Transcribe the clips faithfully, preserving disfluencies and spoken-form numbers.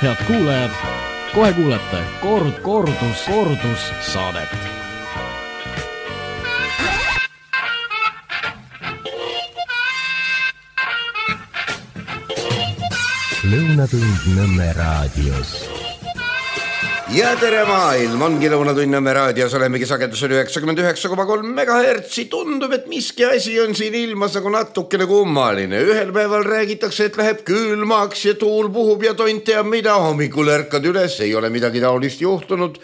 Head kuulajad, kohe kuulete kord, kordus, kordus saadet. Lõunatund Nõmme raadios. Ja tere maailm, ongi Lõunatund Nõmme raadios, olemegi sagedusel üheksakümmend üheksa koma kolm megahertsi. Tundub, et miski asi on siin ilmas nagu natukene kummaline. Ühel päeval räägitakse, et läheb külmaks ja tuul puhub ja tont teab mida. Hommikul ärkad üles, ei ole midagi taolist juhtunud.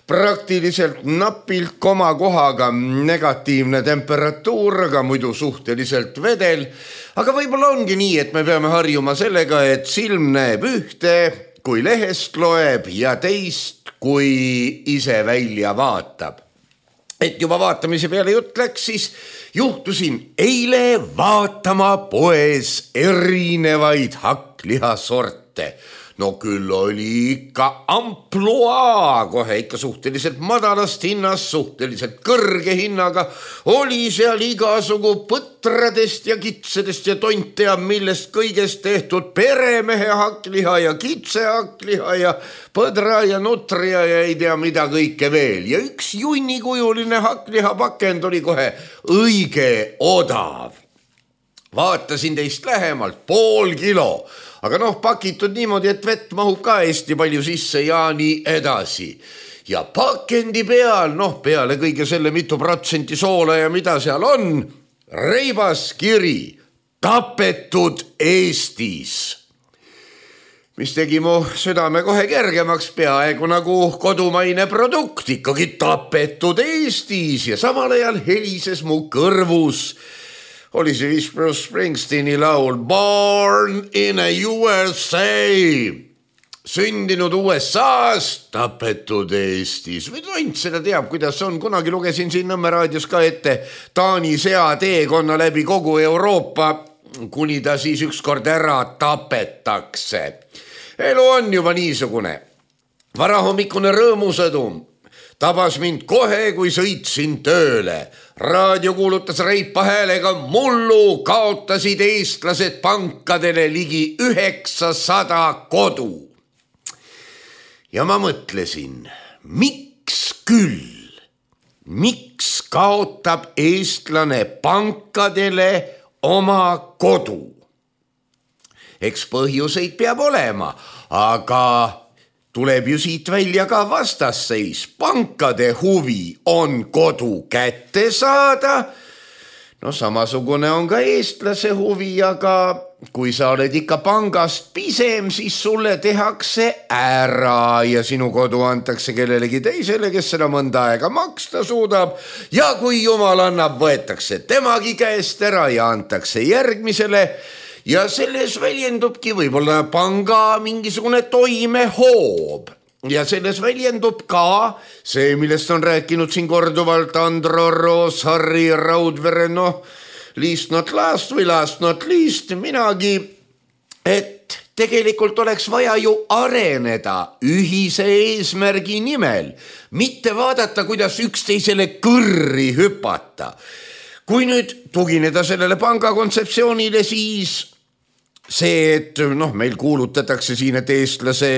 Praktiliselt napilt koma kohaga negatiivne temperatuur, aga muidu suhteliselt vedel. Aga võib-olla ongi nii, et me peame harjuma sellega, et silm näeb ühte, kui lehest loeb ja teist, kui ise välja vaatab. Et juba vaatamise peale jutt läks, siis juhtusin eile vaatama poes erinevaid hakklihasorte. No küll oli ikka amploaa, kohe ikka suhteliselt madalast hinnast, suhteliselt kõrge hinnaga. Oli seal igasugu põtradest ja kitsedest ja tont teab millest kõigest tehtud peremehe hakkliha ja kitse hakkliha ja põdra ja nutria ja ei tea mida kõike veel. Ja üks junnikujuline hakkliha pakend oli kohe õige odav. Vaatasin teist lähemalt, pool kilo. Aga noh, pakitud niimoodi, et vett mahub ka hästi palju sisse ja nii edasi. Ja pakendi peal, noh peale kõige selle mitu protsenti soola ja mida seal on, reibas kiri, tapetud Eestis. Mis tegi mu südame kohe kergemaks, peaaegu nagu kodumaine produkt, ikkagi tapetud Eestis ja samal ajal helises mu kõrvus. Oli see vist Bruce Springsteeni laul Born in a U S A. Sündinud U S A-s, tapetud Eestis. Või tont seda teab, kuidas on. Kunagi lugesin siin Nõmme raadios ka ette Taani sea teekonna läbi kogu Euroopa, kuni ta siis ükskord ära tapetakse. Elu on juba niisugune. Varahommikune rõõmusõdum tabas mind kohe, kui sõitsin tööle. Raadio kuulutas reipa häälega, mullu kaotasid eestlased pankadele ligi üheksasada kodu. Ja ma mõtlesin, miks küll? Miks kaotab eestlane pankadele oma kodu? Eks põhjuseid peab olema, aga tuleb ju siit välja ka vastasseis. Pankade huvi on kodu kätte saada. No samasugune on ka eestlase huvi, aga kui sa oled ikka pangast pisem, siis sulle tehakse ära ja sinu kodu antakse kellelegi teisele, kes seda mõnda aega maksta suudab. Ja kui jumal annab, võetakse temagi käest ära ja antakse järgmisele. Ja selles väljendubki võib-olla panga mingisugune toimehoob. Ja selles väljendub ka see, millest on rääkinud siin korduvalt Andro Roos, Harri Raudvere, noh, least not last või last not least, minagi, et tegelikult oleks vaja ju areneda ühise eesmärgi nimel, mitte vaadata, kuidas üksteisele kõrri hüpata. Kui nüüd tugineda sellele panga kontseptsioonile, siis see, et noh, meil kuulutatakse siin, et eestlase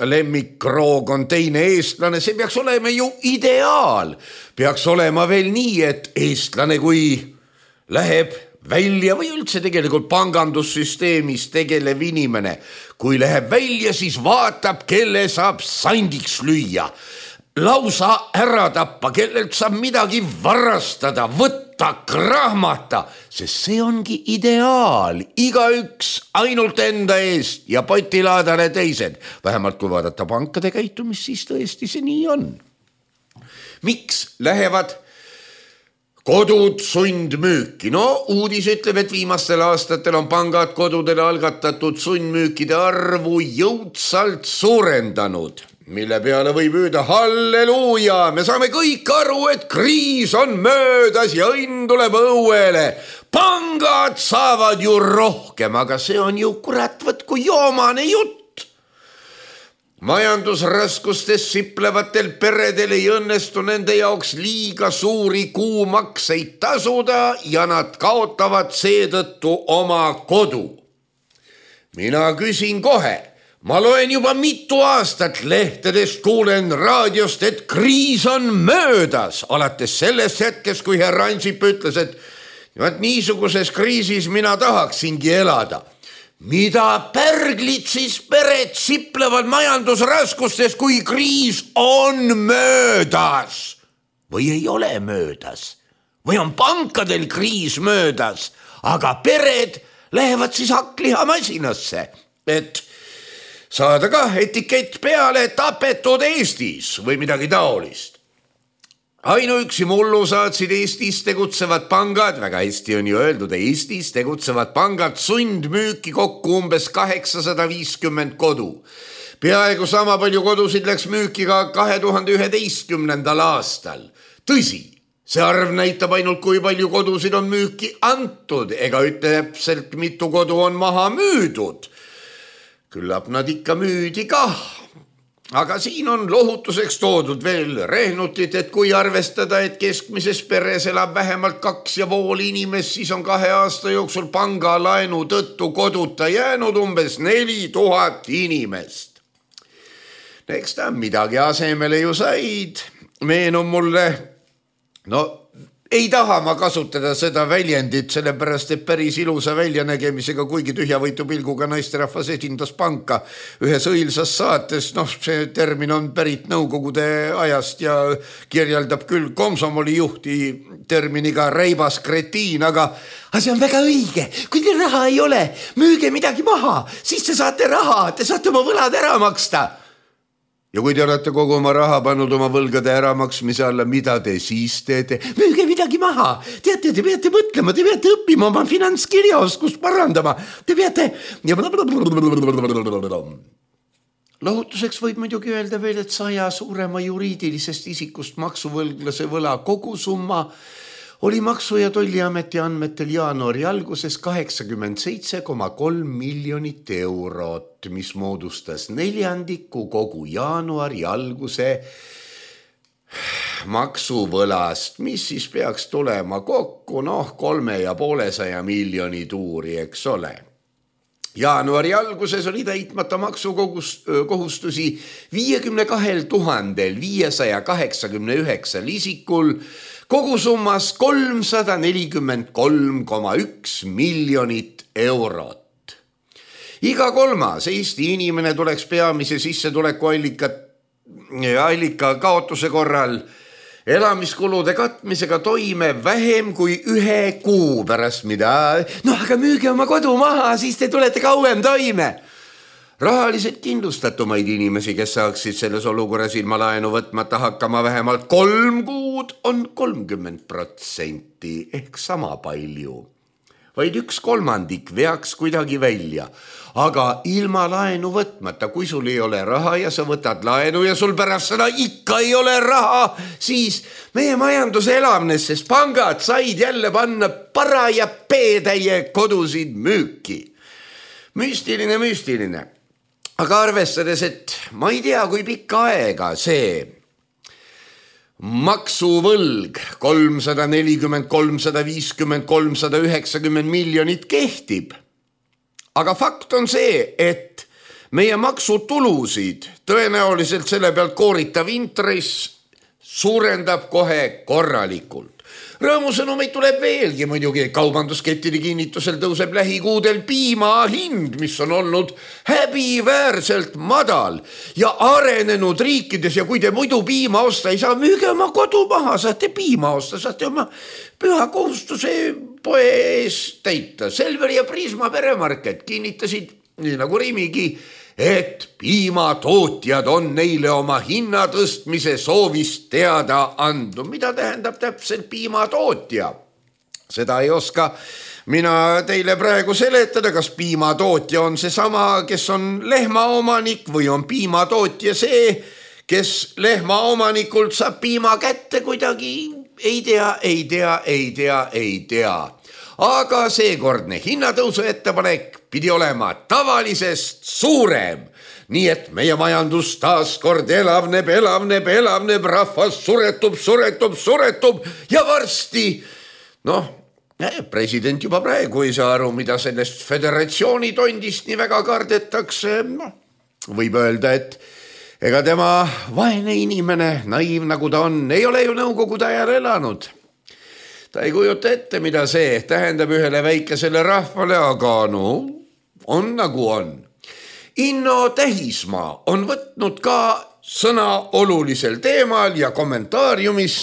lemmikroog on teine eestlane, see peaks olema ju ideaal. Peaks olema veel nii, et eestlane, kui läheb välja või üldse tegelikult pangandussüsteemis tegelev inimene, kui läheb välja, siis vaatab, kelle saab sandiks lüüa. Lausa ära tappa, kellelt saab midagi varastada, võtta, krahmata, sest see ongi ideaal. Igaüks ainult enda eest ja potilaadale teised. Vähemalt kui vaadata pankade käitumist, siis tõesti see nii on. Miks lähevad kodud sundmüüki? No uudis ütleb, et viimastel aastatel on pangad kodudele algatatud sundmüükide arvu jõudsalt suurendanud. Mille peale võib öelda halleluuja, me saame kõik aru, et kriis on möödas ja õnn tuleb õuele. Pangad saavad ju rohkem, aga see on ju kurat võtku joomane jutt. Majandusraskustes siplevatel peredel ei õnnestu nende jaoks liiga suuri kuumakseid tasuda ja nad kaotavad seetõttu oma kodu. Mina küsin kohe, ma loen juba mitu aastat lehtedest, kuulen raadiost, et kriis on möödas. Alates sellest hetkest, kui herr Ansip ütles, et vaat niisuguses kriisis mina tahaksingi elada. Mida pärglid siis pered siplevad majandusraskustes, kui kriis on möödas? Või ei ole möödas? Või on pankadel kriis möödas? Aga pered lähevad siis hakklihamasinasse, et saada ka etikett peale tapetud Eestis või midagi taolist. Ainuüksi mullu saatsid Eestis tegutsevad pangad, väga hästi on ju öeldud, Eestis tegutsevad pangad sundmüüki kokku umbes kaheksasada viiskümmend kodu. Peaaegu sama palju kodusid läks müüki ka kahe tuhande üheteistkümnendal aastal. Tõsi, see arv näitab ainult, kui palju kodusid on müüki antud, ega ütle täpselt, mitu kodu on maha müüdud. Küllap nad ikka müüdi kah. Aga siin on lohutuseks toodud veel rehnutit, et kui arvestada, et keskmises peres elab vähemalt kaks ja pool inimest, siis on kahe aasta jooksul panga laenu tõttu koduta jäänud umbes neli tuhat inimest. Eks ta midagi asemele ju said. Meenub mulle, no ei taha ma kasutada seda väljendit, sellepärast, et päris ilusa väljanägemisega, kuigi tühjavõitu pilguga naisterahvas esindas panka ühes õilsas saates. Noh, see termin on pärit nõukogude ajast ja kirjeldab küll komsomoli juhti terminiga reibas kretiin, aga see on väga õige. Kui teil raha ei ole, müüge midagi maha, siis te saate raha, te saate oma võlad ära maksta. Ja kui te olete kogu oma raha pannud oma võlgade äramaksmise alla, mida te siis teete? Müüge midagi maha. Teate, te peate mõtlema, te peate õppima oma finantskirjaoskust parandama. Te peate... Lohutuseks võib muidugi öelda veel, et saja suurema juriidilisest isikust maksuvõlglase võla kogusumma oli Maksu- ja Tolliameti andmetel jaanuari alguses kaheksakümmend seitse koma kolm miljonit eurot, mis moodustas neljandiku kogu jaanuari alguse maksuvõlast, mis siis peaks tulema kokku, noh, kolme ja poolesaja miljoni tuuri, eks ole. Jaanuari alguses oli täitmata maksukohustusi viiekümne kahel tuhandel viiesaja kaheksakümne üheksal isikul, kogusummas kolmsada nelikümmend kolm koma üks miljonit eurot. Iga kolmas Eesti inimene tuleks peamise sissetuleku allika, allika kaotuse korral elamiskulude katmisega toime vähem kui ühe kuu pärast, mida... No aga müüge oma kodu maha, siis te tulete kauem toime. Rahaliselt kindlustatumaid inimesi, kes saaksid selles olukorras ilma laenu võtmata hakkama vähemalt kolm kuud, on kolmkümmend protsenti ehk sama palju. Vaid üks kolmandik veaks kuidagi välja, aga ilma laenu võtmata, kui sul ei ole raha ja sa võtad laenu ja sul pärast seda ikka ei ole raha, siis meie majandus elavnes, sest pangad said jälle panna paraja peetäie kodusid müüki. Müstiline, müstiline. Aga arvestades, et ma ei tea, kui pikka aega see maksuvõlg kolmsada nelikümmend, kolmsada viiskümmend, kolmsada üheksakümmend miljonit kehtib. Aga fakt on see, et meie maksutulusid tõenäoliselt selle pealt kooritav intress suurendab kohe korralikult. Rõõmusõnumeid tuleb veelgi muidugi, kaubanduskettide kinnitusel tõuseb lähikuudel piima hind, mis on olnud häbiväärselt madal ja arenenud riikides ja kui te muidu piima osta ei saa, müüge oma kodu maha, saate piima osta, saate oma püha kohustuse poe ees täita. Selver ja Prisma peremarket kinnitasid, nii nagu Rimigi, et piimatootjad on neile oma hinnatõstmise soovist teada andnud. Mida tähendab täpselt piimatootja? Seda ei oska mina teile praegu seletada, kas piimatootja on see sama, kes on lehmaomanik või on piimatootja see, kes lehmaomanikult saab piima kätte kuidagi. Ei tea, ei tea, ei tea, ei tea. Aga seekordne hinnatõusu ettepanek pidi olema tavalisest suurem. Nii et meie majandus taas kord elavneb, elavneb, elavneb, rahvas suretub, suretub, suretub ja varsti, noh, president juba praegu ei saa aru, mida sellest föderatsiooni tondist nii väga kardetakse, noh, võib öelda, et ega tema vaene inimene, naiiv nagu ta on, ei ole ju nõukogude ajal elanud. Ta ei kujuta ette, mida see tähendab ühele väikesele rahvale, aga no on nagu on. Inno Tähismaa on võtnud ka sõna olulisel teemal ja kommentaariumis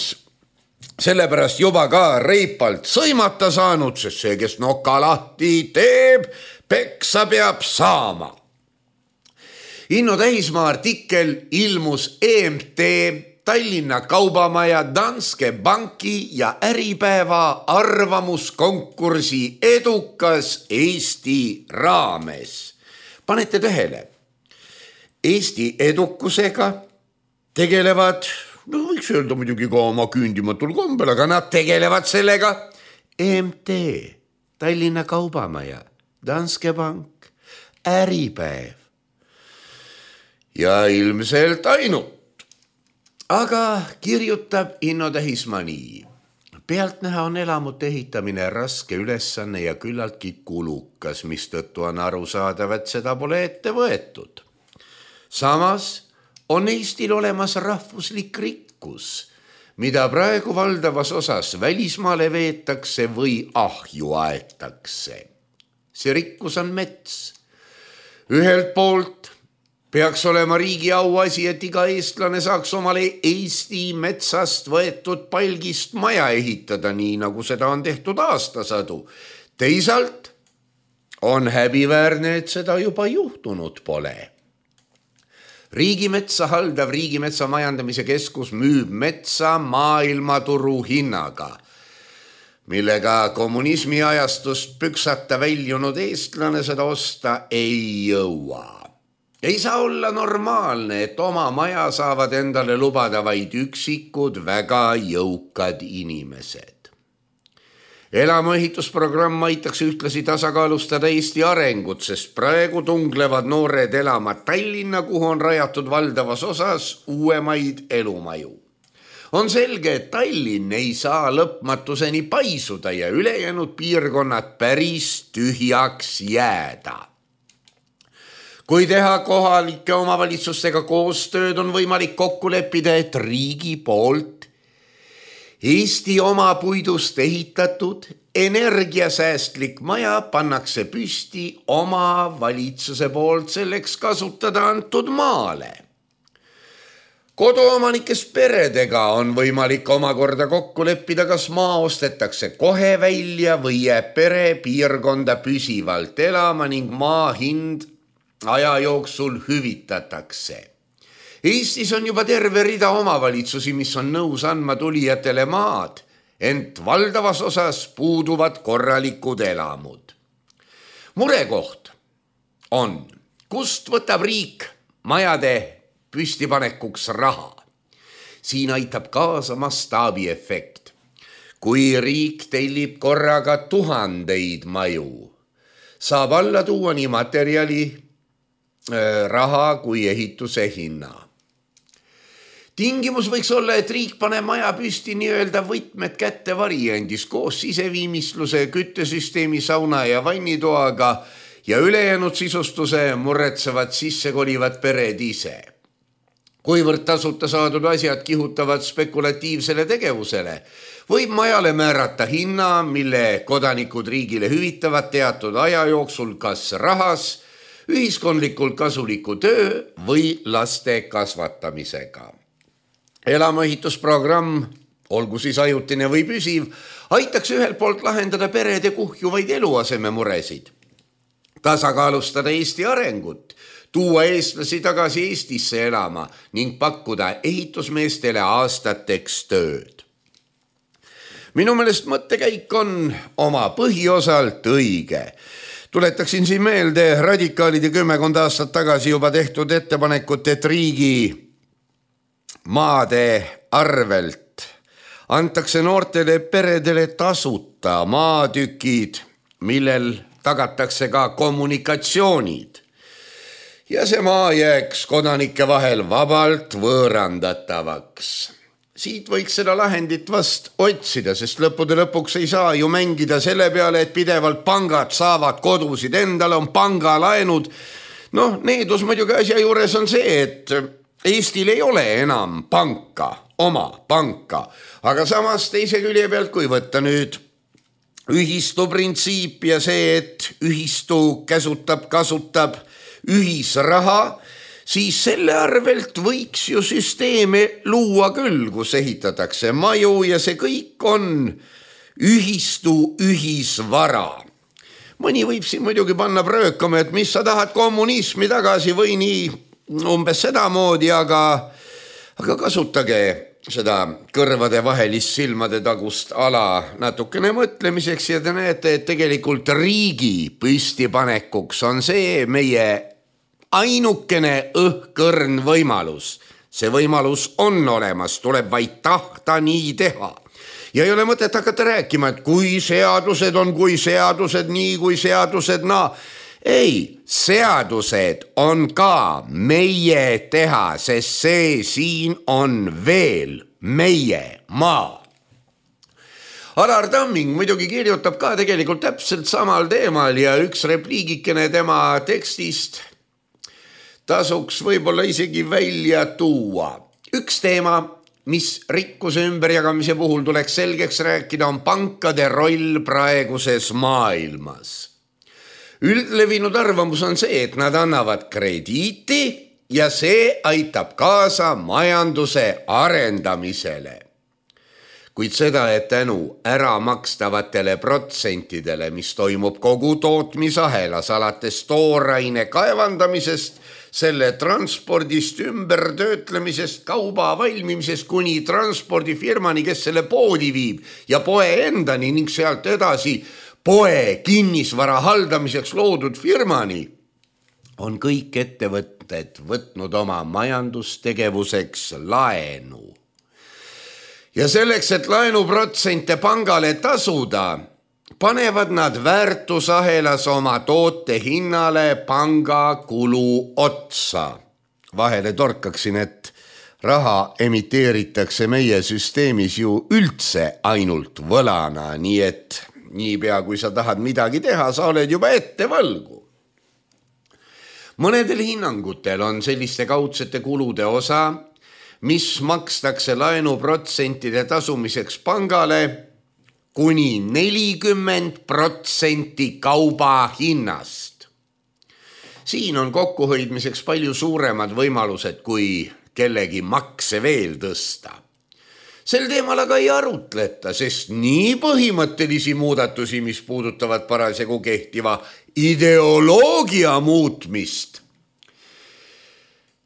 sellepärast juba ka reipalt sõimata saanud, sest see, kes noka lahti teeb, peksa peab saama. Inno Tähismaa artikkel ilmus E M T, Tallinna Kaubamaja, Danske Banki ja Äripäeva arvamuskonkursi edukas Eesti raames. Panete tähele, Eesti edukusega tegelevad, no võiks öelda muidugi ka oma küündimatul kombel, aga nad tegelevad sellega E M T, Tallinna Kaubamaja, Danske Bank, Äripäev ja ilmselt ainult. Aga kirjutab Inno Tähismaa nii. Pealtnäha on elamute ehitamine raske ülesanne ja küllaltki kulukas, mistõttu on aru saadav, et seda pole ette võetud. Samas on Eestil olemas rahvuslik rikkus, mida praegu valdavas osas välismaale veetakse või ahju aetakse. See rikkus on mets. Ühelt poolt peaks olema riigi auasi, et iga eestlane saaks omale Eesti metsast võetud palgist maja ehitada, nii nagu seda on tehtud aastasadu. Teisalt on häbiväärne, et seda juba juhtunud pole. Riigimetsa haldav Riigimetsa majandamise keskus müüb metsa maailmaturu hinnaga, millega kommunismi ajastust püksata väljunud eestlane seda osta ei jõua. Ei saa olla normaalne, et oma maja saavad endale lubada vaid üksikud väga jõukad inimesed. Elamuehitusprogramm aitaks ühtlasi tasakaalustada Eesti arengut, sest praegu tunglevad noored elama Tallinna, kuhu on rajatud valdavas osas uuemaid elumaju. On selge, et Tallinn ei saa lõpmatuseni paisuda ja ülejäänud piirkonnad päris tühjaks jääda. Kui teha kohalike omavalitsustega koostööd, on võimalik kokku leppida, et riigi poolt Eesti oma puidust ehitatud energiasäästlik maja pannakse püsti oma valitsuse poolt selleks kasutada antud maale. Koduomanikes peredega on võimalik omakorda kokku leppida, kas maa ostetakse kohe välja või jääb pere piirkonda püsivalt elama ning maa hind aja jooksul hüvitatakse. Eestis on juba terve rida omavalitsusi, mis on nõus andma tulijatele maad, ent valdavas osas puuduvad korralikud elamud. Murekoht on, kust võtab riik majade püstipanekuks raha. Siin aitab kaasa mastaabiefekt. Kui riik tellib korraga tuhandeid maju, saab alla tuua nii materjali, raha kui ehituse hinna. Tingimus võiks olla, et riik paneb maja püsti nii-öelda võtmed kätte variandis koos siseviimistluse, küttesüsteemi, sauna ja vannitoaga ja ülejäänud sisustuse muretsevad sissekolivad pered ise. Kuivõrd tasuta saadud asjad kihutavad spekulatiivsele tegevusele, võib majale määrata hinna, mille kodanikud riigile hüvitavad teatud aja jooksul kas rahas, ühiskondlikult kasuliku töö või laste kasvatamisega. Elamuehitusprogramm, olgu siis ajutine või püsiv, aitaks ühelt poolt lahendada perede kuhjuvaid eluaseme muresid, tasakaalustada Eesti arengut, tuua eestlasi tagasi Eestisse elama ning pakkuda ehitusmeestele aastateks tööd. Minu meelest mõttekäik on oma põhiosalt õige. Tuletaksin siin meelde radikaalide kümmekond aastat tagasi juba tehtud ettepanekut, et riigi maade arvelt antakse noortele peredele tasuta maatükid, millel tagatakse ka kommunikatsioonid. Ja see maa jääks kodanike vahel vabalt võõrandatavaks. Siit võiks seda lahendit vast otsida, sest lõppude lõpuks ei saa ju mängida selle peale, et pidevalt pangad saavad kodusid endale, on pangalaenud. noh, needus muidugi asja juures on see, et Eestil ei ole enam panka, oma panka, aga samas teise külje pealt, kui võtta nüüd ühistu printsiip ja see, et ühistu käsutab, kasutab ühisraha, siis selle arvelt võiks ju süsteeme luua küll, kus ehitatakse maju ja see kõik on ühistu ühisvara. Mõni võib siin muidugi panna pröökama, et mis sa tahad kommunismi tagasi või nii umbes sedamoodi, aga, aga kasutage seda kõrvade vahelist silmade tagust ala natukene mõtlemiseks ja te näete, et tegelikult riigi püstipanekuks on see meie ainukene õhkõrn võimalus. See võimalus on olemas, tuleb vaid tahta nii teha. Ja ei ole mõtet hakata rääkima, et kui seadused on, kui seadused nii, kui seadused naa. Ei, seadused on ka meie teha, sest see siin on veel meie maa. Alar Tamming muidugi kirjutab ka tegelikult täpselt samal teemal ja üks repliigikene tema tekstist tasuks võib-olla isegi välja tuua. Üks teema, mis rikkuse ümberjagamise puhul tuleks selgeks rääkida, on pankade roll praeguses maailmas. Üldlevinud arvamus on see, et nad annavad krediiti ja see aitab kaasa majanduse arendamisele. Kuid seda, et tänu ära makstavatele protsentidele, mis toimub kogu tootmisahelas alates tooraine kaevandamisest, selle transpordist, ümbertöötlemisest, kauba valmimisest kuni transpordifirmani, kes selle poodi viib ja poe endani ning sealt edasi poe kinnisvara haldamiseks loodud firmani, on kõik ettevõtted võtnud oma majandustegevuseks laenu. Ja selleks, et laenuprotsente pangale tasuda, panevad nad väärtusahelas oma toote hinnale panga kulu otsa. Vahele torkaksin, et raha emiteeritakse meie süsteemis ju üldse ainult võlana, nii et niipea kui sa tahad midagi teha, sa oled juba ette võlgu. Mõnedel hinnangutel on selliste kaudsete kulude osa, mis makstakse laenuprotsentide tasumiseks pangale kuni nelikümmend protsenti kauba hinnast. Siin on kokkuhoidmiseks palju suuremad võimalused kui kellegi makse veel tõsta. Sel teemal aga ei arutleta, sest nii põhimõttelisi muudatusi, mis puudutavad parasjagu kehtiva ideoloogia muutmist,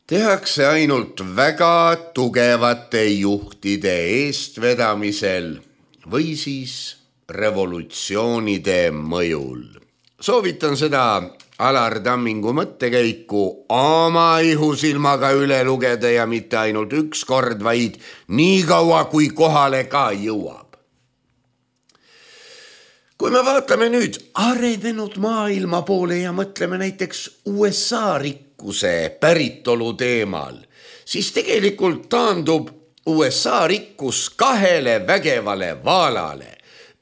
tehakse ainult väga tugevate juhtide eestvedamisel või siis revolutsioonide mõjul. Soovitan seda Alar Tammingu mõttekäiku oma ihusilmaga üle lugeda ja mitte ainult üks kord, vaid nii kaua, kui kohale ka jõuab. Kui me vaatame nüüd arenenud maailma poole ja mõtleme näiteks U S A rikkuse päritolu teemal, siis tegelikult taandub U S A rikkus kahele vägevale vaalale.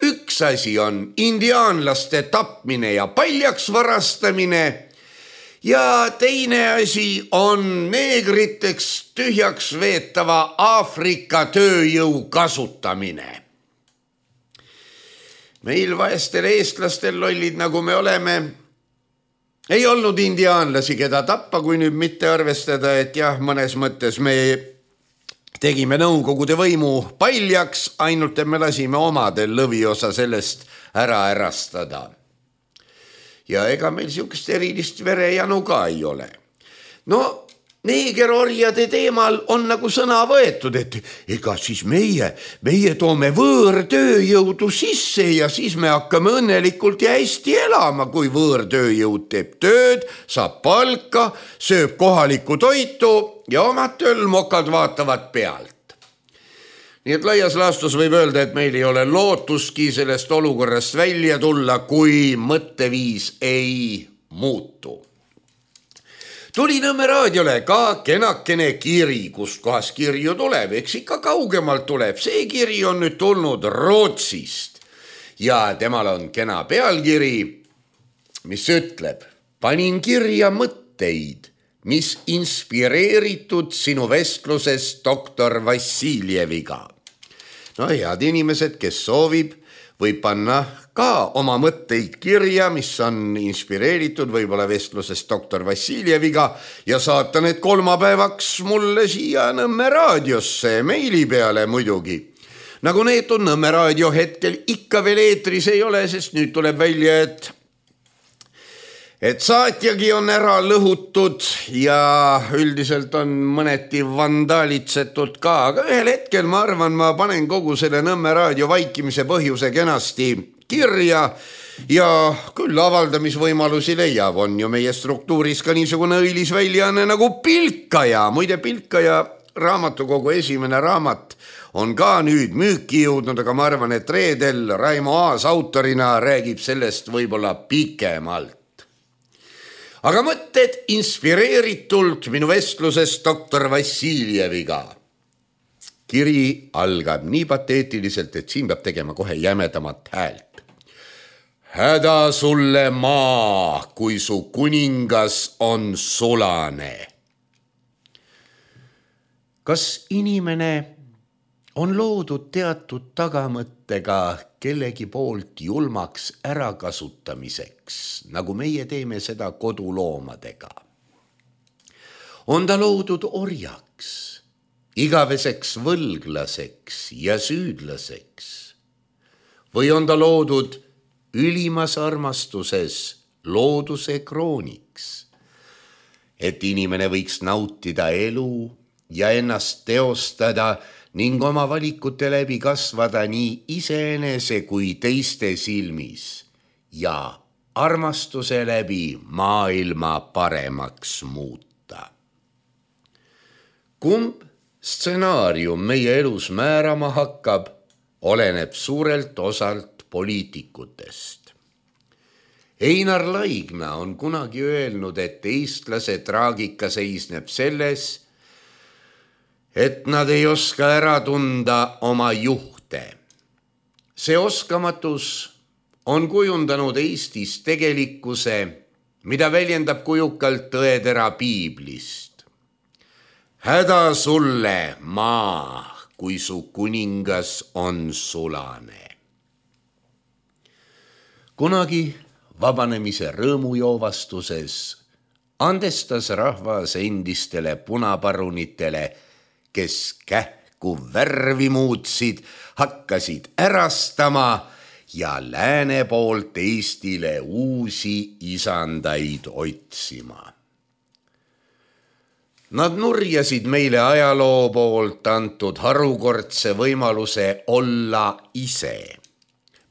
Üks asi on indiaanlaste tapmine ja paljaks varastamine ja teine asi on neegriteks tühjaks veetava Aafrika tööjõu kasutamine. Meil vaestel eestlastel lollid, nagu me oleme, ei olnud indiaanlasi, keda tappa, kui nüüd mitte arvestada, et jah, mõnes mõttes me tegime nõukogude võimu paljaks, ainult et me lasime omadel lõviosa sellest ära ärastada. Ja ega meil siukest erilist verejanu ka ei ole. No, neegerorjade teemal on nagu sõna võetud, et ega siis meie, meie toome võõrtööjõudu sisse ja siis me hakkame õnnelikult ja hästi elama, kui võõrtööjõud teeb tööd, saab palka, sööb kohalikku toitu ja omad tölmokad vaatavad pealt. Nii et laias laastus võib öelda, et meil ei ole lootuski sellest olukorrast välja tulla, kui mõtteviis ei muutu. Tuli Nõmme raadiole ka kenakene kiri, kust kohas kirju tuleb, eks ikka kaugemalt tuleb. See kiri on nüüd tulnud Rootsist ja temal on kena pealkiri, mis ütleb: panin kirja mõtte mõtteid, mis inspireeritud sinu vestluses doktor Vassiljeviga. No head inimesed, kes soovib, võib panna ka oma mõtteid kirja, mis on inspireeritud võib-olla vestluses doktor Vassiljeviga ja saata need kolmapäevaks mulle siia Nõmme raadiosse meili peale muidugi. Nagu need on Nõmme raadio hetkel ikka veel eetris ei ole, sest nüüd tuleb välja, et et saatjagi on ära lõhutud ja üldiselt on mõneti vandaalitsetud ka, aga ühel hetkel ma arvan, ma panen kogu selle Nõmme raadio vaikimise põhjuse kenasti kirja ja küll avaldamisvõimalusi leiab, on ju meie struktuuris ka niisugune õilis väljaanne nagu Pilkaja. Muide, Pilkaja raamatukogu esimene raamat on ka nüüd müüki jõudnud, aga ma arvan, et reedel Raimo Aas autorina räägib sellest võib-olla pikemalt. Aga mõtted inspireeritult minu vestluses doktor Vassiljeviga. Kiri algab nii pateetiliselt, et siin peab tegema kohe jämedamat häält. Häda sulle maa, kui su kuningas on sulane. Kas inimene on loodud teatud tagamõttega kellegi poolt julmaks ärakasutamiseks, nagu meie teeme seda koduloomadega? On ta loodud orjaks, igaveseks võlglaseks ja süüdlaseks? Või on ta loodud ülimas armastuses looduse krooniks, et inimene võiks nautida elu ja ennast teostada ning oma valikute läbi kasvada nii iseenese kui teiste silmis ja armastuse läbi maailma paremaks muuta. Kumb stsenaarium meie elus määrama hakkab, oleneb suurelt osalt poliitikutest. Einar Laigna on kunagi öelnud, et eestlase traagika seisneb selles, et nad ei oska ära tunda oma juhte. See oskamatus on kujundanud Eestis tegelikkuse, mida väljendab kujukalt tõetera piiblist. Häda sulle maa, kui su kuningas on sulane. Kunagi vabanemise rõõmujoovastuses andestas rahvas endistele punaparunitele, kes kähku värvi muutsid, hakkasid ärastama ja lääne poolt Eestile uusi isandaid otsima. Nad nurjasid meile ajaloo poolt antud harukordse võimaluse olla ise,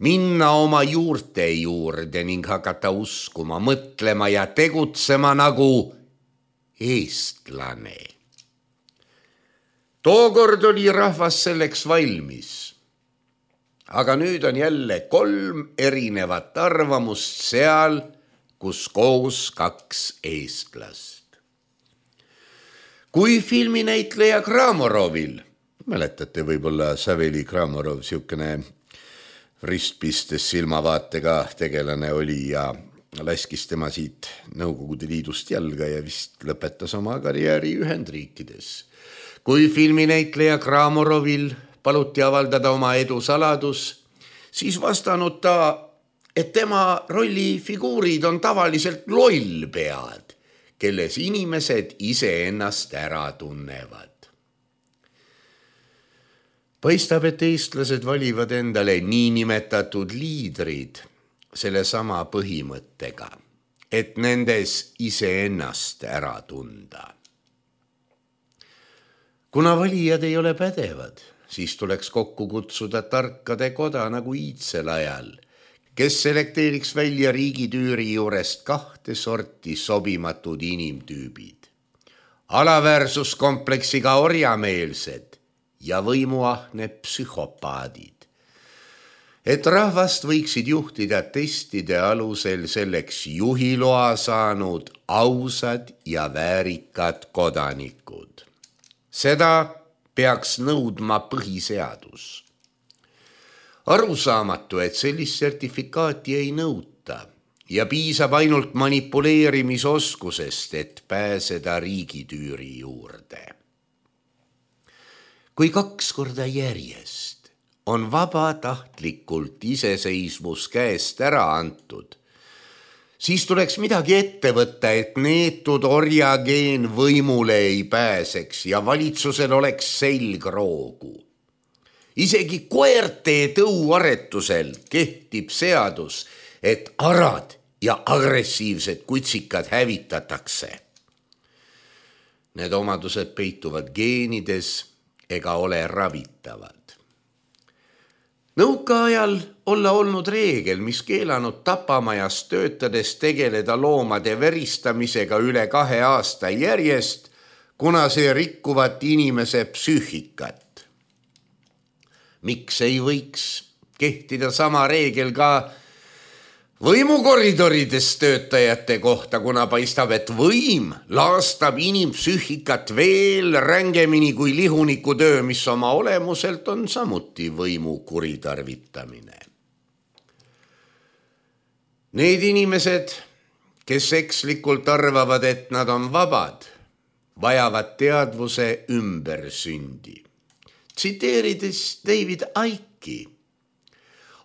minna oma juurte juurde ning hakata uskuma, mõtlema ja tegutsema nagu eestlane. Tookord oli rahvas selleks valmis, aga nüüd on jälle kolm erinevat arvamust seal, kus koos kaks eestlast. Kui filminäitleja Kramorovil, mäletate võib-olla Saveli Kramorov, siukene ristpistes silmavaatega tegelane oli ja laskis tema siit Nõukogude Liidust jalga ja vist lõpetas oma karjääri Ühendriikides. Kui filminäitleja Kramorovil paluti avaldada oma edu saladus, siis vastanud ta, et tema rollifiguurid on tavaliselt lollpead, kelles inimesed iseennast ära tunnevad. Paistab, et eestlased valivad endale niinimetatud liidrid selle sama põhimõttega, et nendes iseennast ära tunda. Kuna valijad ei ole pädevad, siis tuleks kokku kutsuda tarkade koda nagu iidsel ajal, kes selekteeriks välja riigitüüri juurest kahte sorti sobimatud inimtüübid. Alaväärsuskompleksiga orjameelsed ja võimuahne psühhopaadid. Et rahvast võiksid juhtida testide alusel selleks juhiloa saanud ausad ja väärikad kodanikud. Seda peaks nõudma põhiseadus. Arusaamatu, et sellist sertifikaati ei nõuta ja piisab ainult manipuleerimisoskusest, et pääseda riigitüüri juurde. Kui kaks korda järjest on vabatahtlikult iseseisvus käest ära antud, siis tuleks midagi ette võtta, et neetud orjageen võimule ei pääseks ja valitsusel oleks selgroogu. Isegi koerte tõuaretusel kehtib seadus, et arad ja agressiivsed kutsikad hävitatakse. Need omadused peituvad geenides ega ole ravitavad. Nõukaajal olla olnud reegel, mis keelanud tapamajas töötades tegeleda loomade veristamisega üle kahe aasta järjest, kuna see rikkuvat inimese psüühikat. Miks ei võiks kehtida sama reegel ka võimukoridorides töötajate kohta, kuna paistab, et võim laastab inimpsüühikat veel rängemini kui lihuniku töö, mis oma olemuselt on samuti võimu kuritarvitamine. Need inimesed, kes ekslikult arvavad, et nad on vabad, vajavad teadvuse ümbersündi. Tsiteerides David Icke'i,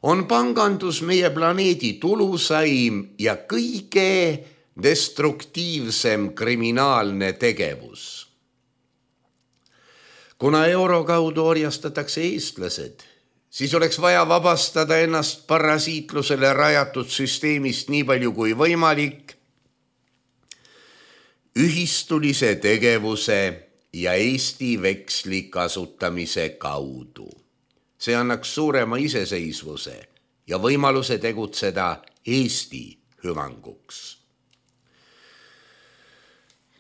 on pangandus meie planeedi tulusaim ja kõige destruktiivsem kriminaalne tegevus. Kuna euro kaudu orjastatakse eestlased, siis oleks vaja vabastada ennast parasiitlusele rajatud süsteemist nii palju kui võimalik ühistulise tegevuse ja Eesti veksli kasutamise kaudu. See annaks suurema iseseisvuse ja võimaluse tegutseda Eesti hüvanguks.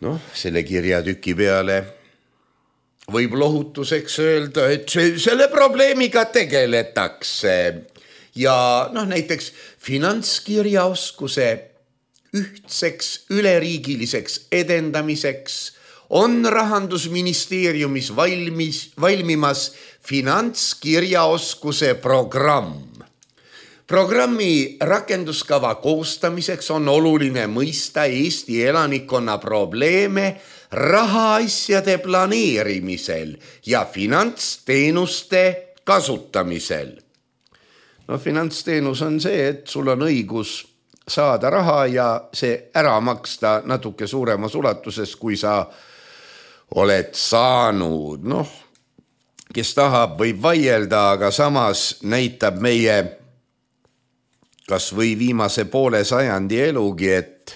Noh, selle kirjatüki peale võib lohutuseks öelda, et selle probleemiga tegeletakse ja noh, näiteks finantskirjaoskuse ühtseks üleriigiliseks edendamiseks on Rahandusministeeriumis valmis, valmimas finantskirjaoskuse programm. Programmi rakenduskava koostamiseks on oluline mõista Eesti elanikkonna probleeme rahaasjade planeerimisel ja finantsteenuste kasutamisel. No, finantsteenus on see, et sul on õigus saada raha ja see ära maksta natuke suuremas ulatuses, kui sa oled saanud. Noh, kes tahab, võib vaielda, aga samas näitab meie kas või viimase poole sajandi elugi, et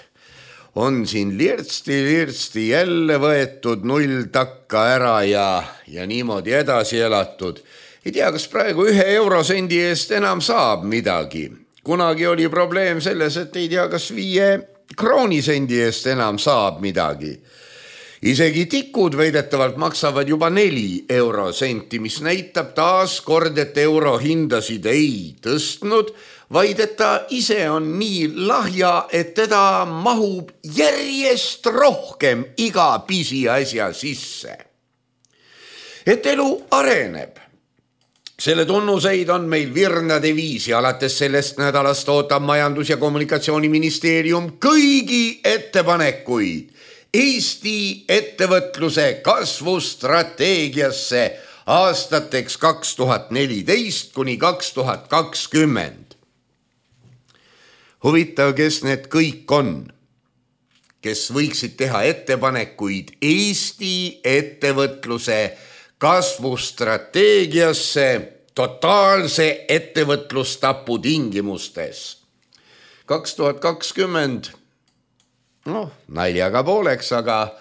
on siin lirtsti-lirtsti jälle võetud null takka ära ja, ja niimoodi edasi elatud. Ei tea, kas praegu ühe eurosendi eest enam saab midagi. Kunagi oli probleem selles, et ei tea, kas viie kroonisendi eest enam saab midagi. Isegi tikud veidetavalt maksavad juba neli eurosenti, mis näitab taas kord, et euro hindasid ei tõstnud, vaid et ta ise on nii lahja, et teda mahub järjest rohkem iga pisiasja sisse. Et elu areneb. Selle tunnuseid on meil virnade viisi, alates sellest nädalast ootab Majandus- ja Kommunikatsiooniministeerium kõigi ettepanekuid Eesti ettevõtluse kasvustrateegiasse aastateks kaks tuhat neliteist kuni kaks tuhat kakskümmend. Huvitav, kes need kõik on, kes võiksid teha ettepanekuid Eesti ettevõtluse kasvustrateegiasse totaalse ettevõtlustapu tingimustes. kaks tuhat kakskümmend, noh, naljaga pooleks, aga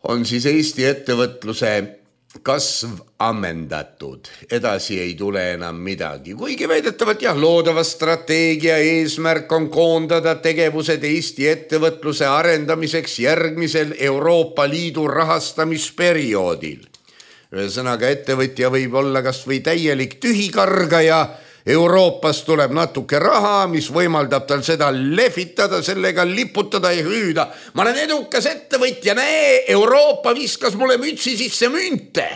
on siis Eesti ettevõtluse kasv ammendatud. Edasi ei tule enam midagi. Kuigi väidetavalt jah, loodava strateegia eesmärk on koondada tegevused Eesti ettevõtluse arendamiseks järgmisel Euroopa Liidu rahastamisperioodil. Ühesõnaga, ettevõtja võib olla kas või täielik tühikargaja, Euroopas tuleb natuke raha, mis võimaldab tal seda lehvitada, sellega liputada ja hüüda. Ma olen edukas ettevõtja, näe, Euroopa viskas mulle mütsi sisse münte.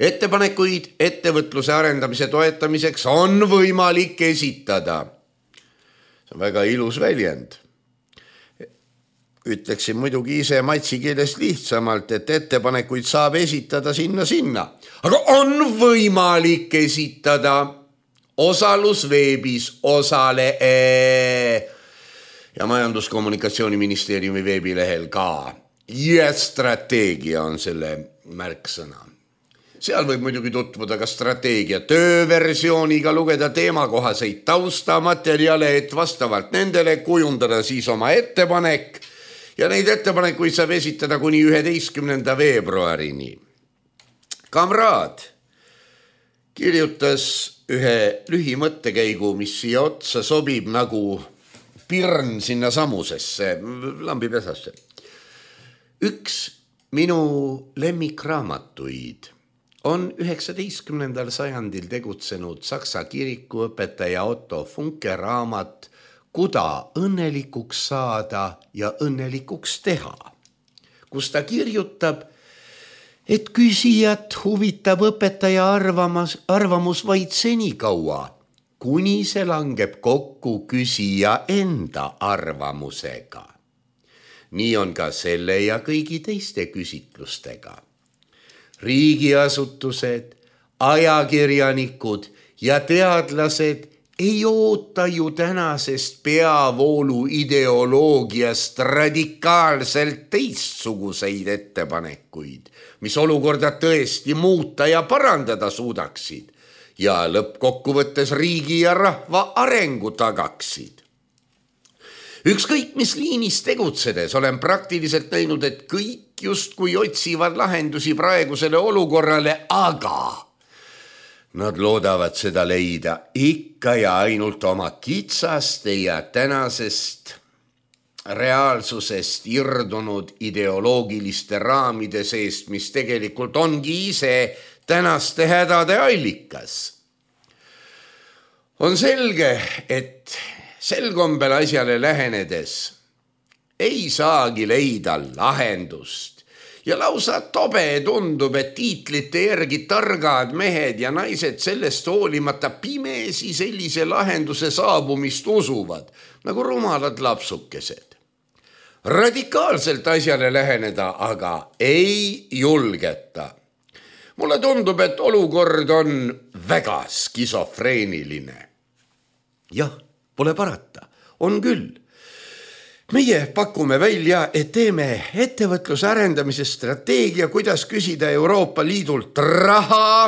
Ettepanekuid ettevõtluse arendamise toetamiseks on võimalik esitada. See on väga ilus väljend. Ütleksin muidugi ise matsi keeles lihtsamalt, et ettepanekuid saab esitada sinna-sinna. Aga on võimalik esitada osalusveebis osale ja Majandus-Kommunikatsiooniministeeriumi veebilehel ka. Ja strateegia on selle märksõna. Seal võib muidugi tutvuda ka strateegia tööversiooniga, lugeda teemakohaseid taustamaterjale, et vastavalt nendele kujundada siis oma ettepanek ja neid ettepanekuid saab esitada kuni üheteistkümnenda veebruarini. Kamraad kirjutas ühe lühimõttekäigu, mis siia otsa sobib nagu pirn sinna samusesse, lambipesasse. Üks minu lemmikraamatuid on üheksateistkümnendal sajandil tegutsenud saksa kirikuõpetaja Otto Funke raamat Kuda õnnelikuks saada ja õnnelikuks teha, kus ta kirjutab, et küsijat huvitab õpetaja arvamus, arvamus vaid senikaua, kuni see langeb kokku küsija enda arvamusega. Nii on ka selle ja kõigi teiste küsitlustega. Riigiasutused, ajakirjanikud ja teadlased ei oota ju tänasest peavoolu ideoloogiast radikaalselt teistsuguseid ettepanekuid, mis olukorda tõesti muuta ja parandada suudaksid ja lõppkokkuvõttes riigi ja rahva arengu tagaksid. Ükskõik mis liinis tegutsedes olen praktiliselt näinud, et kõik justkui otsivad lahendusi praegusele olukorrale, aga nad loodavad seda leida ikka ja ainult oma kitsaste ja tänasest reaalsusest irdunud ideoloogiliste raamide seest, mis tegelikult ongi ise tänaste hädade allikas. On selge, et sel kombel asjale lähenedes ei saagi leida lahendust. Ja lausa tobe tundub, et tiitlite järgi targad mehed ja naised sellest hoolimata pimesi sellise lahenduse saabumist usuvad, nagu rumalad lapsukesed. Radikaalselt asjale läheneda aga ei julgeta. Mulle tundub, et olukord on väga skisofreeniline. Jah, pole parata, on küll. Meie pakume välja, et teeme ettevõtluse arendamise strateegia, kuidas küsida Euroopa Liidult raha,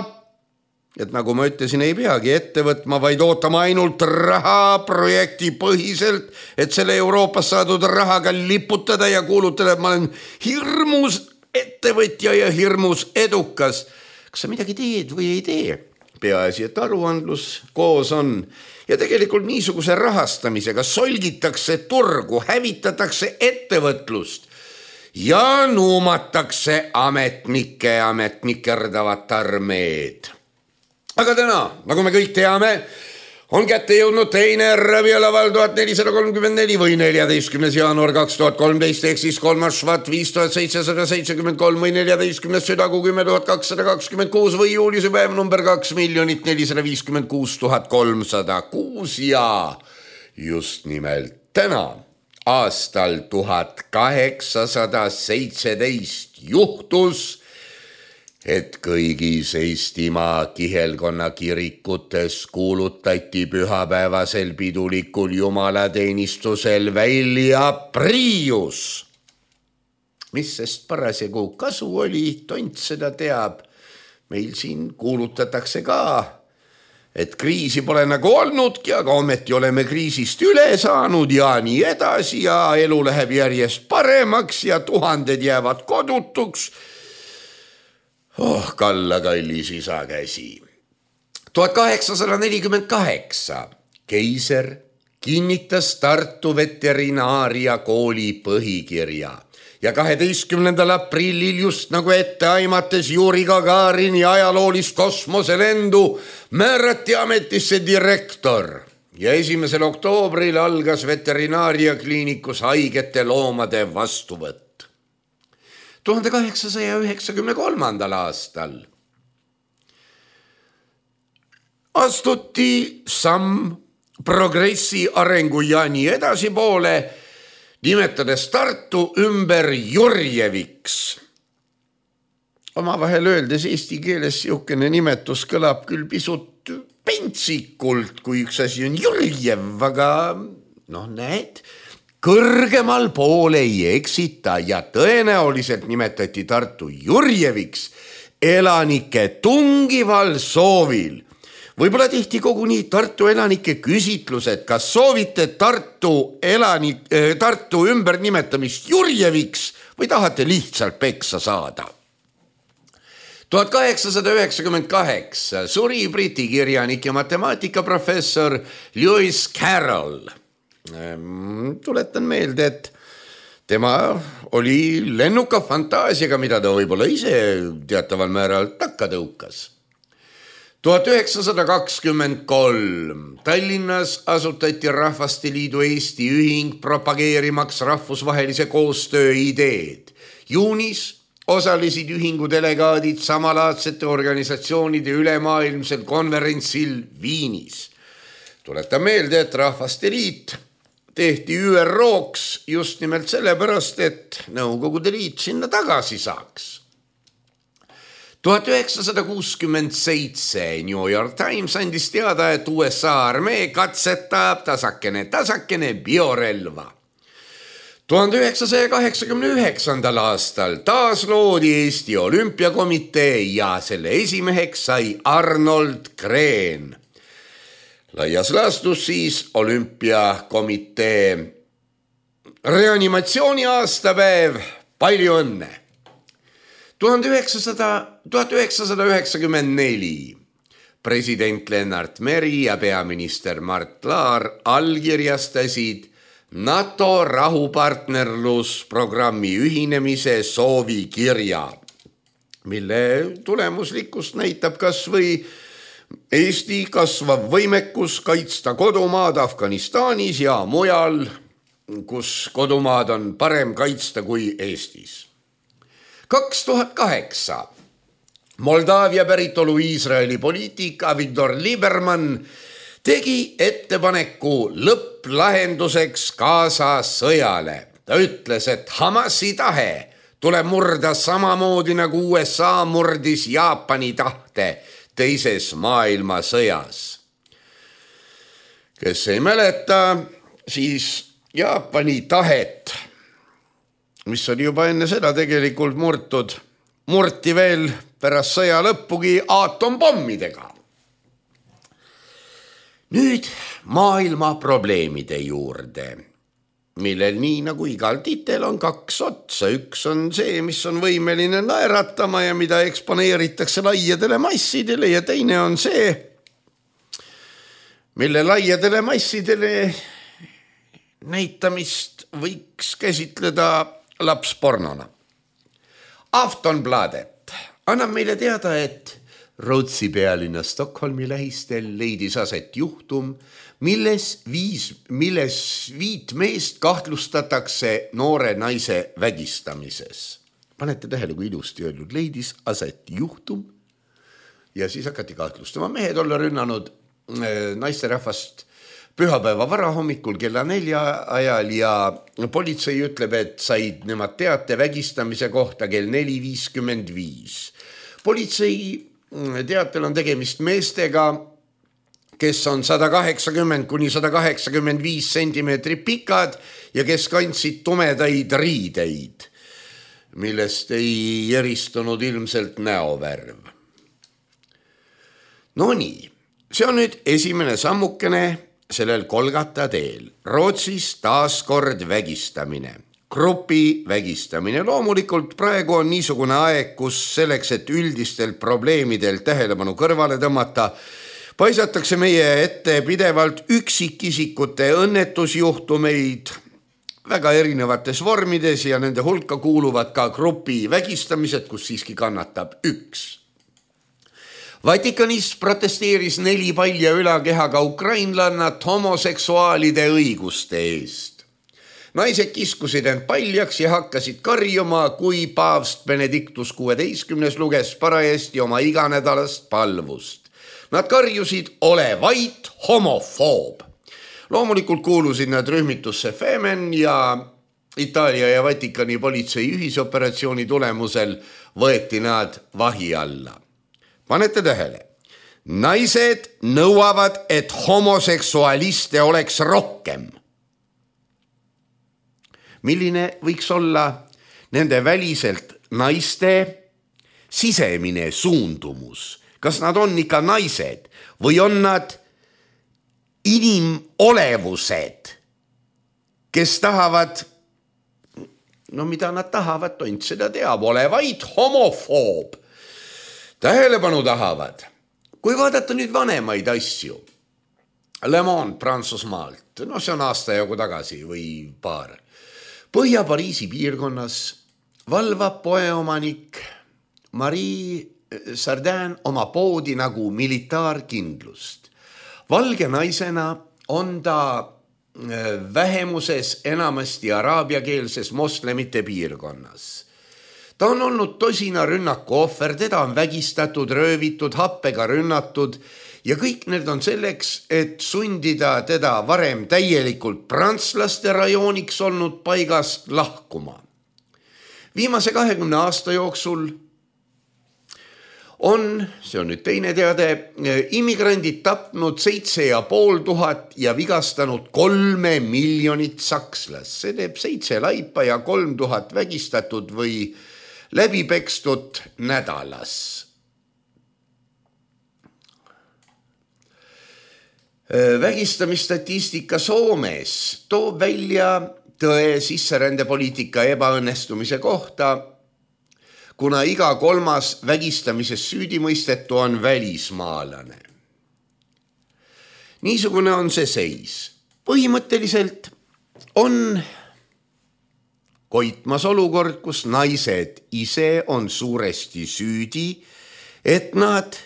et nagu ma ütlesin, ei peagi ette võtma, vaid ootama ainult raha projekti põhiselt, et selle Euroopas saadud rahaga liputada ja kuulutada, et ma olen hirmus ettevõtja ja hirmus edukas. Kas sa midagi teed või ei tee? Peaasi, et aruandlus koos on. Ja tegelikult niisuguse rahastamisega solgitakse turgu, hävitatakse ettevõtlust ja nuumatakse ametnike ametnikerdavat armeed. Aga täna, nagu me kõik teame, on kätte jõudnud teine Raviolaval tuhat nelisada kolmkümmend neli või neljateistkümnes jaanuar kaks tuhat kolmteist ehk siis kolmas švat viis tuhat seitsesada seitsekümmend kolm või neljateistkümnes südagu kümme tuhat kakssada kakskümmend kuus või juulise päev number kaks miljonit nelisada viiskümmend kuus tuhat kolmsada kuus ja just nimelt täna aastal tuhat kaheksasada seitseteist juhtus, et kõigis Eestimaa kihelkonna kirikutes kuulutati pühapäevasel pidulikul jumalateenistusel välja Prius. Mis sest parasjagu kasu oli, tont seda teab. Meil siin kuulutatakse ka, et kriisi pole nagu olnudki, aga ometi oleme kriisist üle saanud ja nii edasi ja elu läheb järjest paremaks ja tuhanded jäävad kodutuks. Oh, kalla kallis isa käsi. tuhat kaheksasada nelikümmend kaheksa keiser kinnitas Tartu veterinaaria kooli põhikirja ja kaheteistkümnendal aprillil just nagu ette aimates Juri Gagarini ajaloolist kosmoselendu määrati ametisse direktor ja esimesel oktoobril algas veterinaaria kliinikus haigete loomade vastuvõtt. tuhande kaheksasaja üheksakümne kolmandal aastal astuti samm progressi, arengu ja nii edasi poole, nimetades Tartu ümber Jurjeviks. Omavahel öeldes eesti keeles siukene nimetus kõlab küll pisut pentsikult, kui üks asi on Jurjev, aga noh näed, kõrgemal poole ei eksita ja tõenäoliselt nimetati Tartu Jurjeviks elanike tungival soovil. Võib-olla tehti koguni Tartu elanike küsitlused, kas soovite Tartu, elanik, Tartu ümber nimetamist Jurjeviks või tahate lihtsalt peksa saada. tuhat kaheksasada üheksakümmend kaheksa suri briti kirjanik ja matemaatikaprofessor Lewis Carroll. Tuletan meelde, et tema oli lennuka fantaasiaga, mida ta võib-olla ise teataval määral takka tõukas. tuhat üheksasada kakskümmend kolm Tallinnas asutati Rahvaste Liidu Eesti ühing propageerimaks rahvusvahelise koostöö ideed. Juunis osalesid ühingu delegaadid samalaadsete organisatsioonide ülemaailmsel konverentsil Viinis. Tuletan meelde, et Rahvaste Liit tehti Ü R O-ks just nimelt sellepärast, et Nõukogude Liit sinna tagasi saaks. tuhat üheksasada kuuskümmend seitse New York Times andis teada, et U S A armee katsetab tasakene tasakene biorelva. tuhande üheksasaja kaheksakümne üheksandal aastal taas loodi Eesti Olümpiakomitee ja selle esimeheks sai Arnold Green. Laias laastus siis Olümpiakomitee reanimatsiooni aastapäev, palju õnne! tuhat üheksasada üheksakümmend neli president Lennart Meri ja peaminister Mart Laar allkirjastasid NATO rahupartnerlusprogrammi ühinemise soovikirja, mille tulemuslikkust näitab kas või Eesti kasvav võimekus kaitsta kodumaad Afganistanis ja mujal, kus kodumaad on parem kaitsta kui Eestis. kaks tuhat kaheksa Moldaavia päritolu Iisraeli poliitik Avigdor Lieberman tegi ettepaneku lõpplahenduseks Gaza sõjale. Ta ütles, et Hamasi tahe tuleb murda samamoodi nagu U S A murdis Jaapani tahte teises maailmasõjas. Kes ei mäleta, siis Jaapani tahet, mis oli juba enne seda tegelikult murtud, murti veel pärast sõja lõppugi aatompommidega. Nüüd maailma probleemide juurde, millel nii nagu igal titel on kaks otsa. Üks on see, mis on võimeline naeratama ja mida eksponeeritakse laiadele massidele, ja teine on see, mille laiadele massidele näitamist võiks käsitleda lapspornona. Aftonbladet annab meile teada, et Rootsi pealinna Stockholmi lähistel leidis aset juhtum, milles, viis, milles viit meest kahtlustatakse noore naise vägistamises. Panete tähele, kui ilusti öeldud, leidis aset juhtum ja siis hakati kahtlustama. Mehed olla rünnanud naisterahvast pühapäeva varahommikul kella nelja ajal ja politsei ütleb, et said nemad teate vägistamise kohta kell neli viiskümmend viis. Politsei teatel on tegemist meestega, kes on sada kaheksakümmend kuni sada kaheksakümmend viis sentimeetrit pikad ja kes kandsid tumedaid riideid, millest ei eristunud ilmselt näovärv. No nii, see on nüüd esimene sammukene sellel Kolgata teel. Rootsis taas kord vägistamine. Grupi vägistamine. Loomulikult praegu on niisugune aeg, kus selleks, et üldistelt probleemidelt tähelepanu kõrvale tõmmata, paisatakse meie ette pidevalt üksikisikute õnnetusjuhtumeid väga erinevates vormides ja nende hulka kuuluvad ka grupi vägistamised, kus siiski kannatab üks. Vatikanis protesteeris neli palja ülakehaga ukrainlannat homoseksuaalide õiguste eest. Naised kiskusid end paljaks ja hakkasid karjuma, kui paavst Benedictus kuueteistkümnes luges parajasti oma iganädalast palvust. Nad karjusid, ole vait, homofoob. Loomulikult kuulusid nad rühmitusse Femen ja Itaalia ja Vatikani politsei ühisoperatsiooni tulemusel võeti nad vahi alla. Panete tähele, naised nõuavad, et homoseksualiste oleks rohkem. Milline võiks olla nende väliselt naiste sisemine suundumus? Kas nad on ikka naised või on nad inimolevused, kes tahavad, no mida nad tahavad, tont seda teab, olevaid homofoob. Tähelepanu tahavad. Kui vaadata nüüd vanemaid asju, Le Monde Prantsusmaalt, no see on aasta jagu tagasi või paar, Põhja-Pariisi piirkonnas valvab poeomanik Marie Sardin oma poodi nagu militaarkindlust. Valge naisena on ta vähemuses enamasti araabiakeelses moslemite piirkonnas. Ta on olnud tosina rünnaku ohver, teda on vägistatud, röövitud, happega rünnatud ja kõik need on selleks, et sundida teda varem täielikult prantslaste rajooniks olnud paigast lahkuma. Viimase kahekümne aasta jooksul on, see on nüüd teine teade, immigrandid tapnud seitse ja pool tuhat ja vigastanud kolme miljonit sakslast. See teeb seitse laipa ja kolm tuhat vägistatud või läbipekstud nädalas. Vägistamisstatistika Soomes toob välja tõe sisserändepoliitika ebaõnnestumise kohta, kuna iga kolmas vägistamises süüdimõistetu on välismaalane. Niisugune on see seis. Põhimõtteliselt on koitmas olukord, kus naised ise on suuresti süüdi, et nad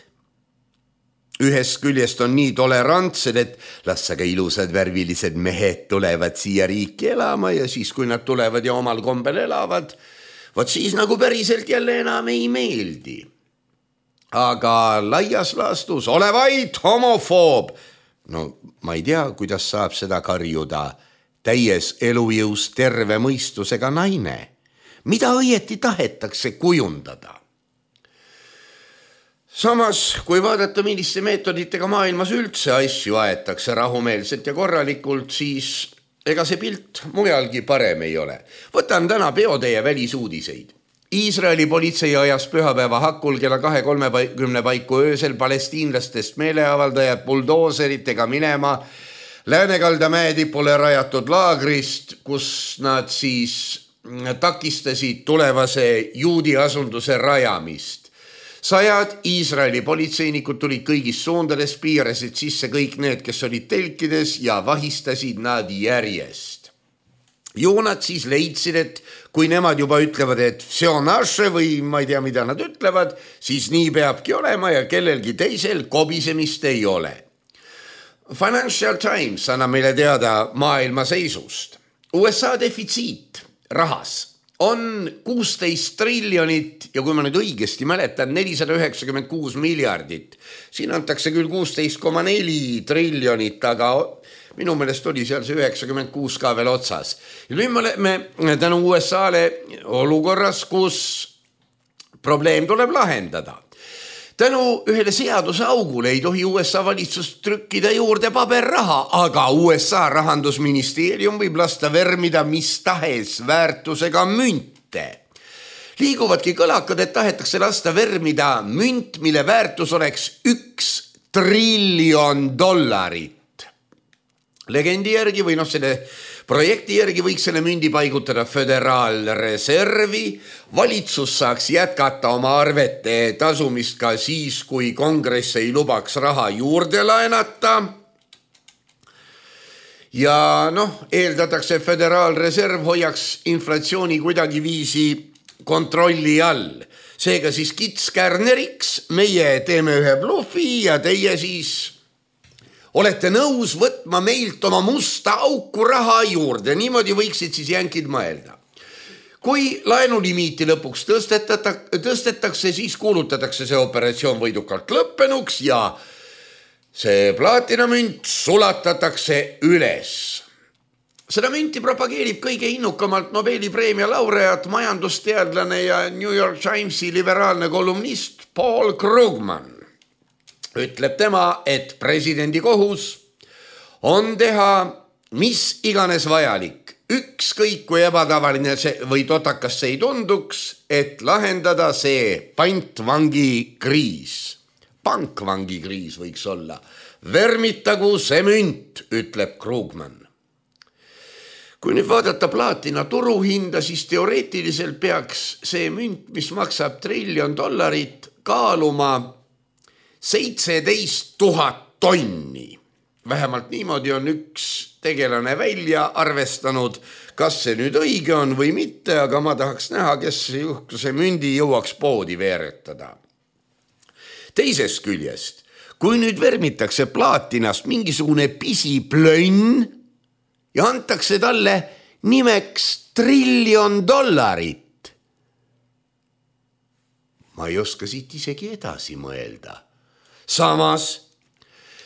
ühest küljest on nii tolerantsed, et las aga ilusad värvilised mehed tulevad siia riiki elama ja siis, kui nad tulevad ja omal kombel elavad, vot siis nagu päriselt jälle enam ei meeldi. Aga laias laastus ole vaid homofoob. No ma ei tea, kuidas saab seda karjuda täies elujõus terve mõistusega naine. Mida õieti tahetakse kujundada? Samas, kui vaadata, milliste meetoditega maailmas üldse asju aetakse rahumeelselt ja korralikult, siis ega see pilt mujalgi parem ei ole. Võtan täna peoteie välisuudiseid. Iisraeli politsei ajas pühapäeva hakkul kella kahe kolmekümne paiku öösel palestiinlastest meeleavaldajad buldooseritega minema Läänekalda mäetipule rajatud laagrist, kus nad siis takistasid tulevase juudi asunduse rajamist. Sajad Iisraeli politseinikud tulid kõigis suundades, piirasid sisse kõik need, kes olid telkides ja vahistasid nad järjest. Ju nad siis leidsid, et kui nemad juba ütlevad, et see on naše või ma ei tea, mida nad ütlevad, siis nii peabki olema ja kellelgi teisel kobisemist ei ole. Financial Times annab meile teada maailma seisust. U S A defitsiit rahas on kuusteist triljonit ja kui ma nüüd õigesti mäletan, nelisada üheksakümmend kuus miljardit. Siin antakse küll kuusteist koma neli triljonit, aga minu meelest oli seal see üheksakümmend kuus ka veel otsas. Ja nüüd me oleme tänu U S A-le olukorras, kus probleem tuleb lahendada. Tänu ühele seaduse augule ei tohi U S A valitsus trükkida juurde paberraha, aga U S A rahandusministeerium võib lasta vermida mis tahes väärtusega münte. Liiguvadki kõlakad, et tahetakse lasta vermida münt, mille väärtus oleks üks triljon dollarit. Legendi järgi või noh, selle projekti järgi võiks selle mündi paigutada föderaalreservi. Valitsus saaks jätkata oma arvete tasumist ka siis, kui kongress ei lubaks raha juurde laenata. Ja noh, eeldatakse föderaalreserv hoiaks inflatsiooni kuidagi viisi kontrolli all. Seega siis kitskärneriks meie teeme ühe blufi ja teie siis olete nõus võtma meilt oma musta auku raha juurde. Niimoodi võiksid siis jänkid mõelda. Kui laenulimiiti lõpuks tõstetakse, siis kuulutatakse see operatsioon võidukalt lõppenuks ja see plaatinamünt sulatatakse üles. Seda münti propageerib kõige innukamalt Nobeli preemia laureaat, majandusteadlane ja New York Timesi liberaalne kolumnist Paul Krugman. Ütleb tema, et presidendi kohus on teha mis iganes vajalik, ükskõik kui ebatavaline see või totakas see ei tunduks, et lahendada see pantvangi kriis. Pankvangi kriis võiks olla. Vermitagu see münt, ütleb Krugman. Kui nüüd vaadata plaatina turuhinda, siis teoreetiliselt peaks see münt, mis maksab triljon dollarit, kaaluma seitseteist tuhat tonni. Vähemalt niimoodi on üks tegelane välja arvestanud, kas see nüüd õige on või mitte, aga ma tahaks näha, kes see mündi jõuaks poodi veeretada. Teisest küljest, kui nüüd vermitakse plaatinast mingisugune pisiplönn ja antakse talle nimeks triljon dollarit, ma ei oska siit isegi edasi mõelda. Samas,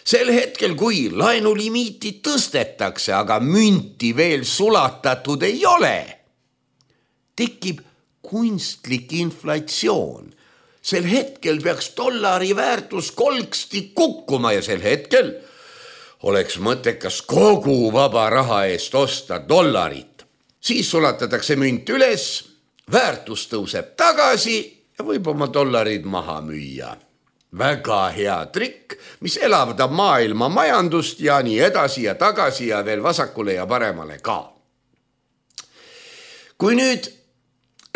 sel hetkel, kui laenulimiiti tõstetakse, aga münti veel sulatatud ei ole, tekib kunstlik inflatsioon. Sel hetkel peaks dollari väärtus kolksti kukkuma ja sel hetkel oleks mõttekas kogu vaba raha eest osta dollarit. Siis sulatatakse münt üles, väärtus tõuseb tagasi ja võib oma dollarid maha müüa. Väga hea trikk, mis elavdab maailma majandust ja nii edasi ja tagasi ja veel vasakule ja paremale ka. Kui nüüd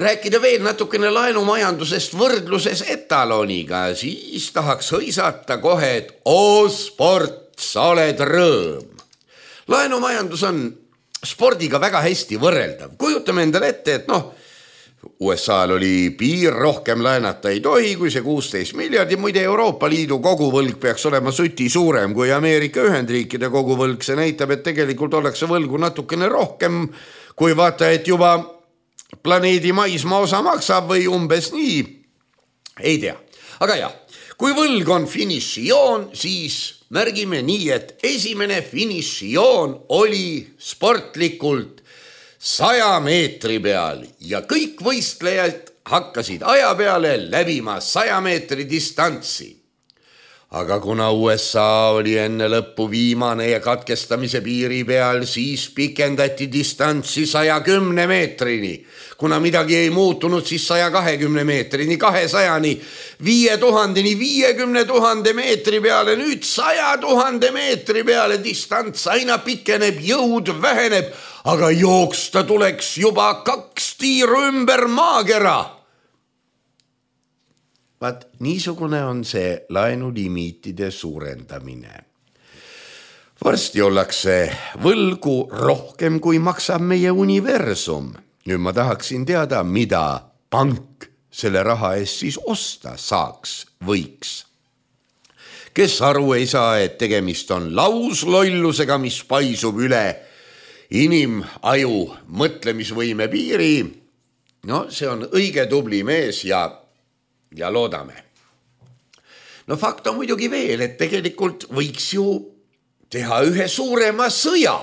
rääkida veel natukene laenumajandusest võrdluses etaloniga, siis tahaks hõisata kohe, et oo sport, sa oled rõõm. Laenumajandus on spordiga väga hästi võrreldav. Kujutame endale ette, et noh, U S A-l oli piir, rohkem laenata ei tohi, kui see kuusteist miljardi. Muide, Euroopa Liidu koguvõlg peaks olema süti suurem kui Ameerika Ühendriikide koguvõlg. See näitab, et tegelikult ollakse võlgu natukene rohkem, kui vaata, et juba planeedi maismaa osa maksab või umbes nii. Ei tea. Aga jah, kui võlg on finišijoon, siis märgime nii, et esimene finišijoon oli sportlikult saja meetri peal ja kõik võistlejad hakkasid aja peale läbima saja meetri distantsi. Aga kuna U S A oli enne lõppu viimane ja katkestamise piiri peal, siis pikendati distantsi saja kümne meetrini. Kuna midagi ei muutunud, siis saja kahekümne meetrini, kahesajani, viie tuhandeni, viiekümne tuhande meetri peale, nüüd saja tuhande meetri peale distants aina pikeneb, jõud väheneb, aga jooksta tuleks juba kaks tiiru ümber maakera. Vaat niisugune on see laenulimiitide suurendamine. Varsti ollakse võlgu rohkem, kui maksab meie universum. Nüüd ma tahaksin teada, mida pank selle raha eest siis osta saaks, võiks. Kes aru ei saa, et tegemist on lauslollusega, mis paisub üle inimaju mõtlemisvõime piiri. No see on õige tubli mees ja Ja loodame. No fakt on muidugi veel, et tegelikult võiks ju teha ühe suurema sõja,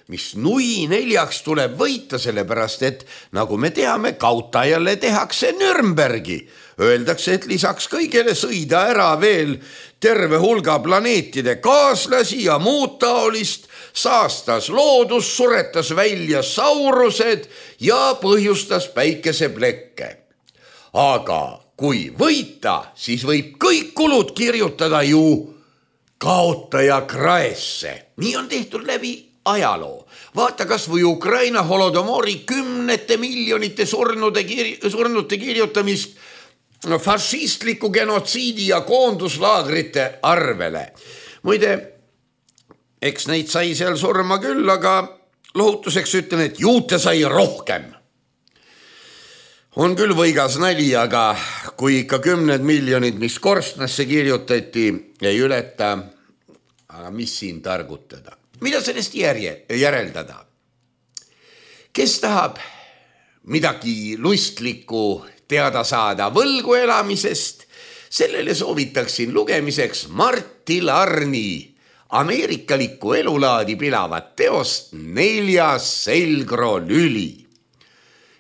mis nui neljaks tuleb võita, sellepärast et nagu me teame, kautajale tehakse Nürnbergi. Öeldakse, et lisaks kõigele sõida ära veel terve hulga planeetide kaaslasi ja muud taolist, saastas loodus, suretas välja saurused ja põhjustas päikeseplekke. Aga kui võita, siis võib kõik kulud kirjutada ju kaotaja kraesse. Nii on tehtud läbi ajaloo. Vaata kas või Ukraina holodomori kümnete miljonite surnude, kir- surnute kirjutamist no, fašistliku genotsiidi ja koonduslaagrite arvele. Muide, eks neid sai seal surma küll, aga lohutuseks ütlen, et juute sai rohkem. On küll võigas nali, aga kui ikka kümned miljonid, mis korstnasse kirjutati, ei ületa, aga mis siin targutada? Mida sellest järje, järeldada? Kes tahab midagi lustlikku teada saada võlgu elamisest, sellele soovitaksin lugemiseks Mart Tillarni ameerikalikku elulaadi pilavat teost Neljas selgrolüli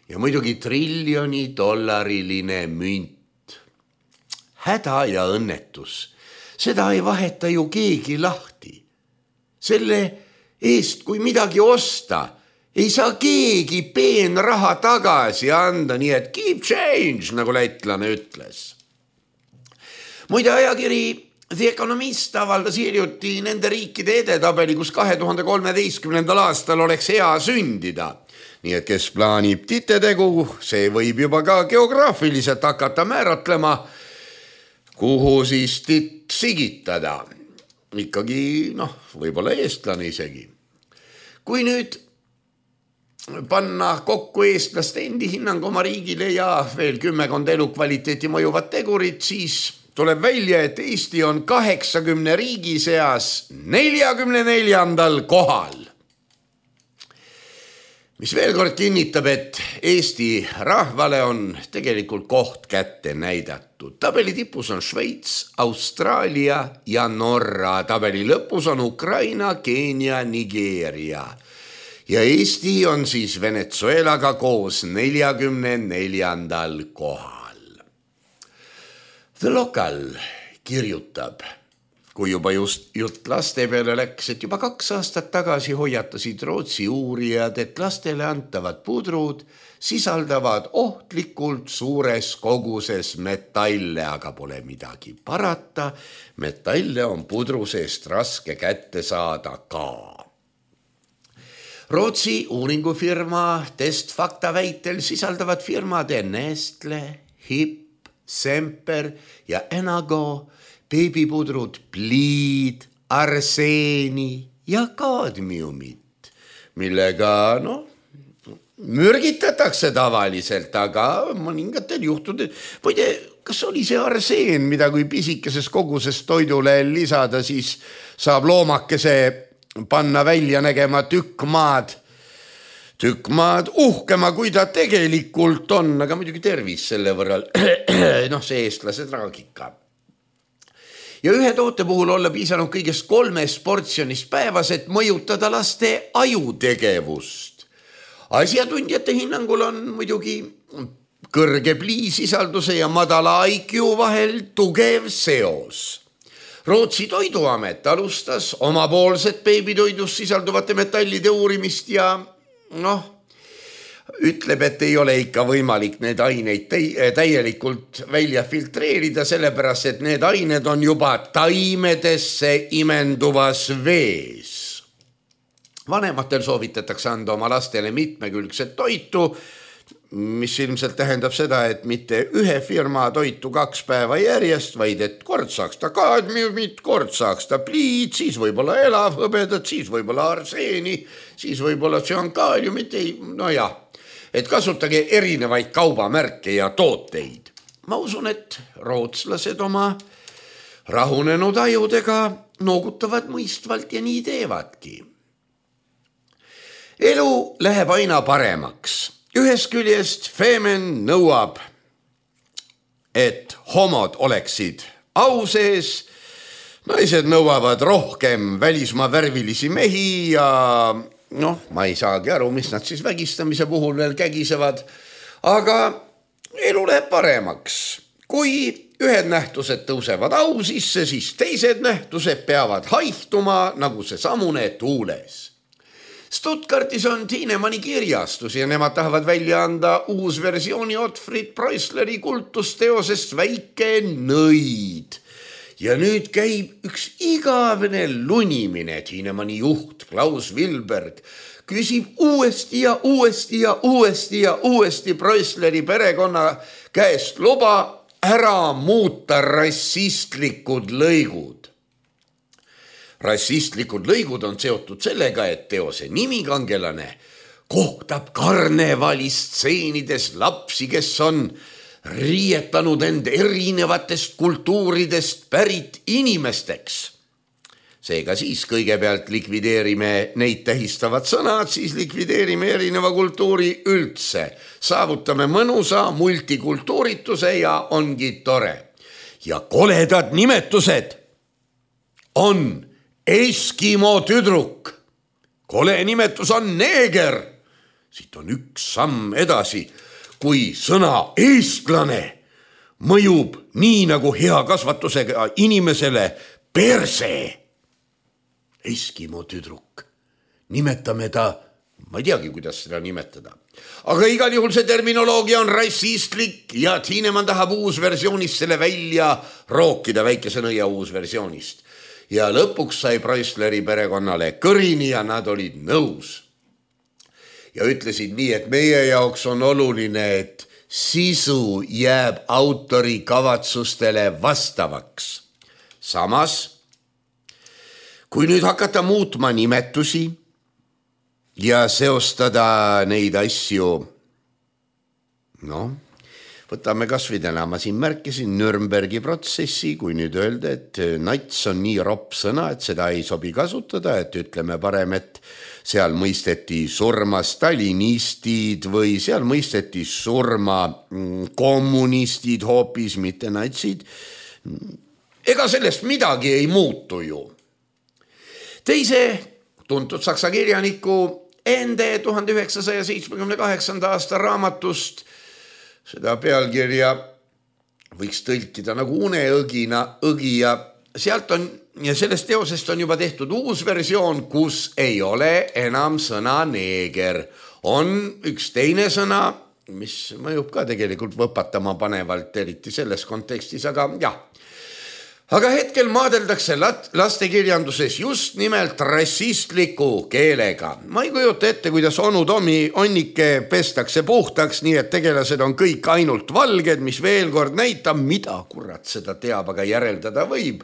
ja muidugi triljoni dollariline münt. Häda ja õnnetus, seda ei vaheta ju keegi lahti. Selle eest, kui midagi osta, ei saa keegi peenraha tagasi anda, nii et keep change, nagu lätlane ütles. Muide, ajakiri The Economist avaldas hiljuti nende riikide edetabeli, kus kahe tuhande kolmeteistkümnendal aastal oleks hea sündida. Nii et kes plaanib titetegu, see võib juba ka geograafiliselt hakata määratlema, kuhu siis titt sigitada. Ikkagi, noh, võib-olla eestlane isegi. Kui nüüd panna kokku eestlaste endi hinnang oma riigile ja veel kümmekond elukvaliteeti mõjuvat tegurit, siis tuleb välja, et Eesti on kaheksakümne riigi seas neljakümne neljandal kohal. Mis veel kord kinnitab, et Eesti rahvale on tegelikult koht kätte näidatud. Tabeli tipus on Šveits, Austraalia ja Norra. Tabeli lõpus on Ukraina, Keenia, Nigeeria. Ja Eesti on siis Venezuelaga koos neljakümne neljandal kohal. The Local kirjutab, kui juba just jutt laste peale läks, et juba kaks aastat tagasi hoiatasid Rootsi uurijad, et lastele antavad pudrud sisaldavad ohtlikult suures koguses metalle, aga pole midagi parata. Metalle on pudru seest raske kätte saada ka. Rootsi uuringufirma Testfakta väitel sisaldavad firmade Nestle, Hip, Semper ja Enago beebipudrud pliid, arseeni ja kaadmiumit, millega no, mürgitatakse tavaliselt, aga mõningatel juhtudel, muide, kas oli see arseen, mida kui pisikeses koguses toidule lisada, siis saab loomakese panna välja nägema tükk maad, tükk maad uhkema, kui ta tegelikult on, aga muidugi tervis selle võrral, noh see eestlase traagika. Ja ühe toote puhul olla piisanud kõigest kolmes portsjonist päevas, et mõjutada laste ajutegevust. Asjatundjate hinnangul on muidugi kõrge pliisisalduse ja madala I Q vahel tugev seos. Rootsi toiduamet alustas omapoolset beebitoidus sisalduvate metallide uurimist ja noh, ütleb, et ei ole ikka võimalik need aineid täielikult välja filtreerida, sellepärast, et need ained on juba taimedesse imenduvas vees. Vanematel soovitatakse anda oma lastele mitmekülgset toitu, mis ilmselt tähendab seda, et mitte ühe firma toitu kaks päeva järjest, vaid et kord saaks ta kaadmiumit, kord saaks ta pliid, siis võib-olla elavhõbedat, siis võib-olla arseeni, siis võib-olla tsüankaaliumit, no jah, et kasutage erinevaid kaubamärke ja tooteid. Ma usun, et rootslased oma rahunenud ajudega noogutavad mõistvalt ja nii teevadki. Elu läheb aina paremaks. Ühest küljest Femen nõuab, et homod oleksid au sees, naised nõuavad rohkem välismaa värvilisi mehi ja noh, ma ei saagi aru, mis nad siis vägistamise puhul veel kägisevad, aga elu läheb paremaks. Kui ühed nähtused tõusevad au sisse, siis teised nähtused peavad haihtuma nagu see samune tuules. Stuttgartis on Tiinemanni kirjastus ja nemad tahavad välja anda uus versiooni Otfrid Preusleri kultusteosest Väike nõid. Ja nüüd käib üks igavene lunimine. Tiinemanni juht Klaus Wilberg küsib uuesti ja uuesti ja uuesti ja uuesti Preusleri perekonna käest luba ära muuta rassistlikud lõigud. Rassistlikud lõigud on seotud sellega, et teose nimikangelane kohtab karnevalistseenides lapsi, kes on riietanud end erinevatest kultuuridest pärit inimesteks. Seega siis kõigepealt likvideerime neid tähistavad sõnad, siis likvideerime erineva kultuuri üldse. Saavutame mõnusa multikultuurituse ja ongi tore. Ja koledad nimetused on Eskimo tüdruk. Kole nimetus on neeger. Siit on üks samm edasi, kui sõna eestlane mõjub nii nagu hea kasvatusega inimesele perse. Eskimo tüdruk. Nimetame ta, ma ei teagi, kuidas seda nimetada. Aga igal juhul see terminoloogia on rassistlik ja Tiinemann tahab uusversioonist selle välja rookida, väikese nõia uusversioonist. Ja lõpuks sai Preissleri perekonnale kõrini ja nad olid nõus. Ja ütlesid nii, et meie jaoks on oluline, et sisu jääb autori kavatsustele vastavaks. Samas, kui nüüd hakata muutma nimetusi ja seostada neid asju, noh, võtame kas või täna, ma siin märkisin Nürnbergi protsessi, kui nüüd öelda, et nats on nii ropp sõna, et seda ei sobi kasutada, et ütleme parem, et seal mõisteti surma stalinistid või seal mõisteti surma kommunistid hoopis, mitte natsid. Ega sellest midagi ei muutu ju. Teise tuntud saksa kirjaniku ende tuhande üheksasaja seitsmekümne kaheksanda aasta raamatust seda pealkirja võiks tõlkida nagu uneõgina õgija. Sealt on ja sellest teosest on juba tehtud uus versioon, kus ei ole enam sõna neeger. On üks teine sõna, mis mõjub ka tegelikult võpatama panevalt, eriti selles kontekstis, aga jah. Aga hetkel maadeldakse lastekirjanduses just nimelt rassistliku keelega. Ma ei kujuta ette, kuidas onu Tomi onnike pestakse puhtaks, nii et tegelased on kõik ainult valged, mis veel kord näitab, mida kurat seda teab, aga järeldada võib.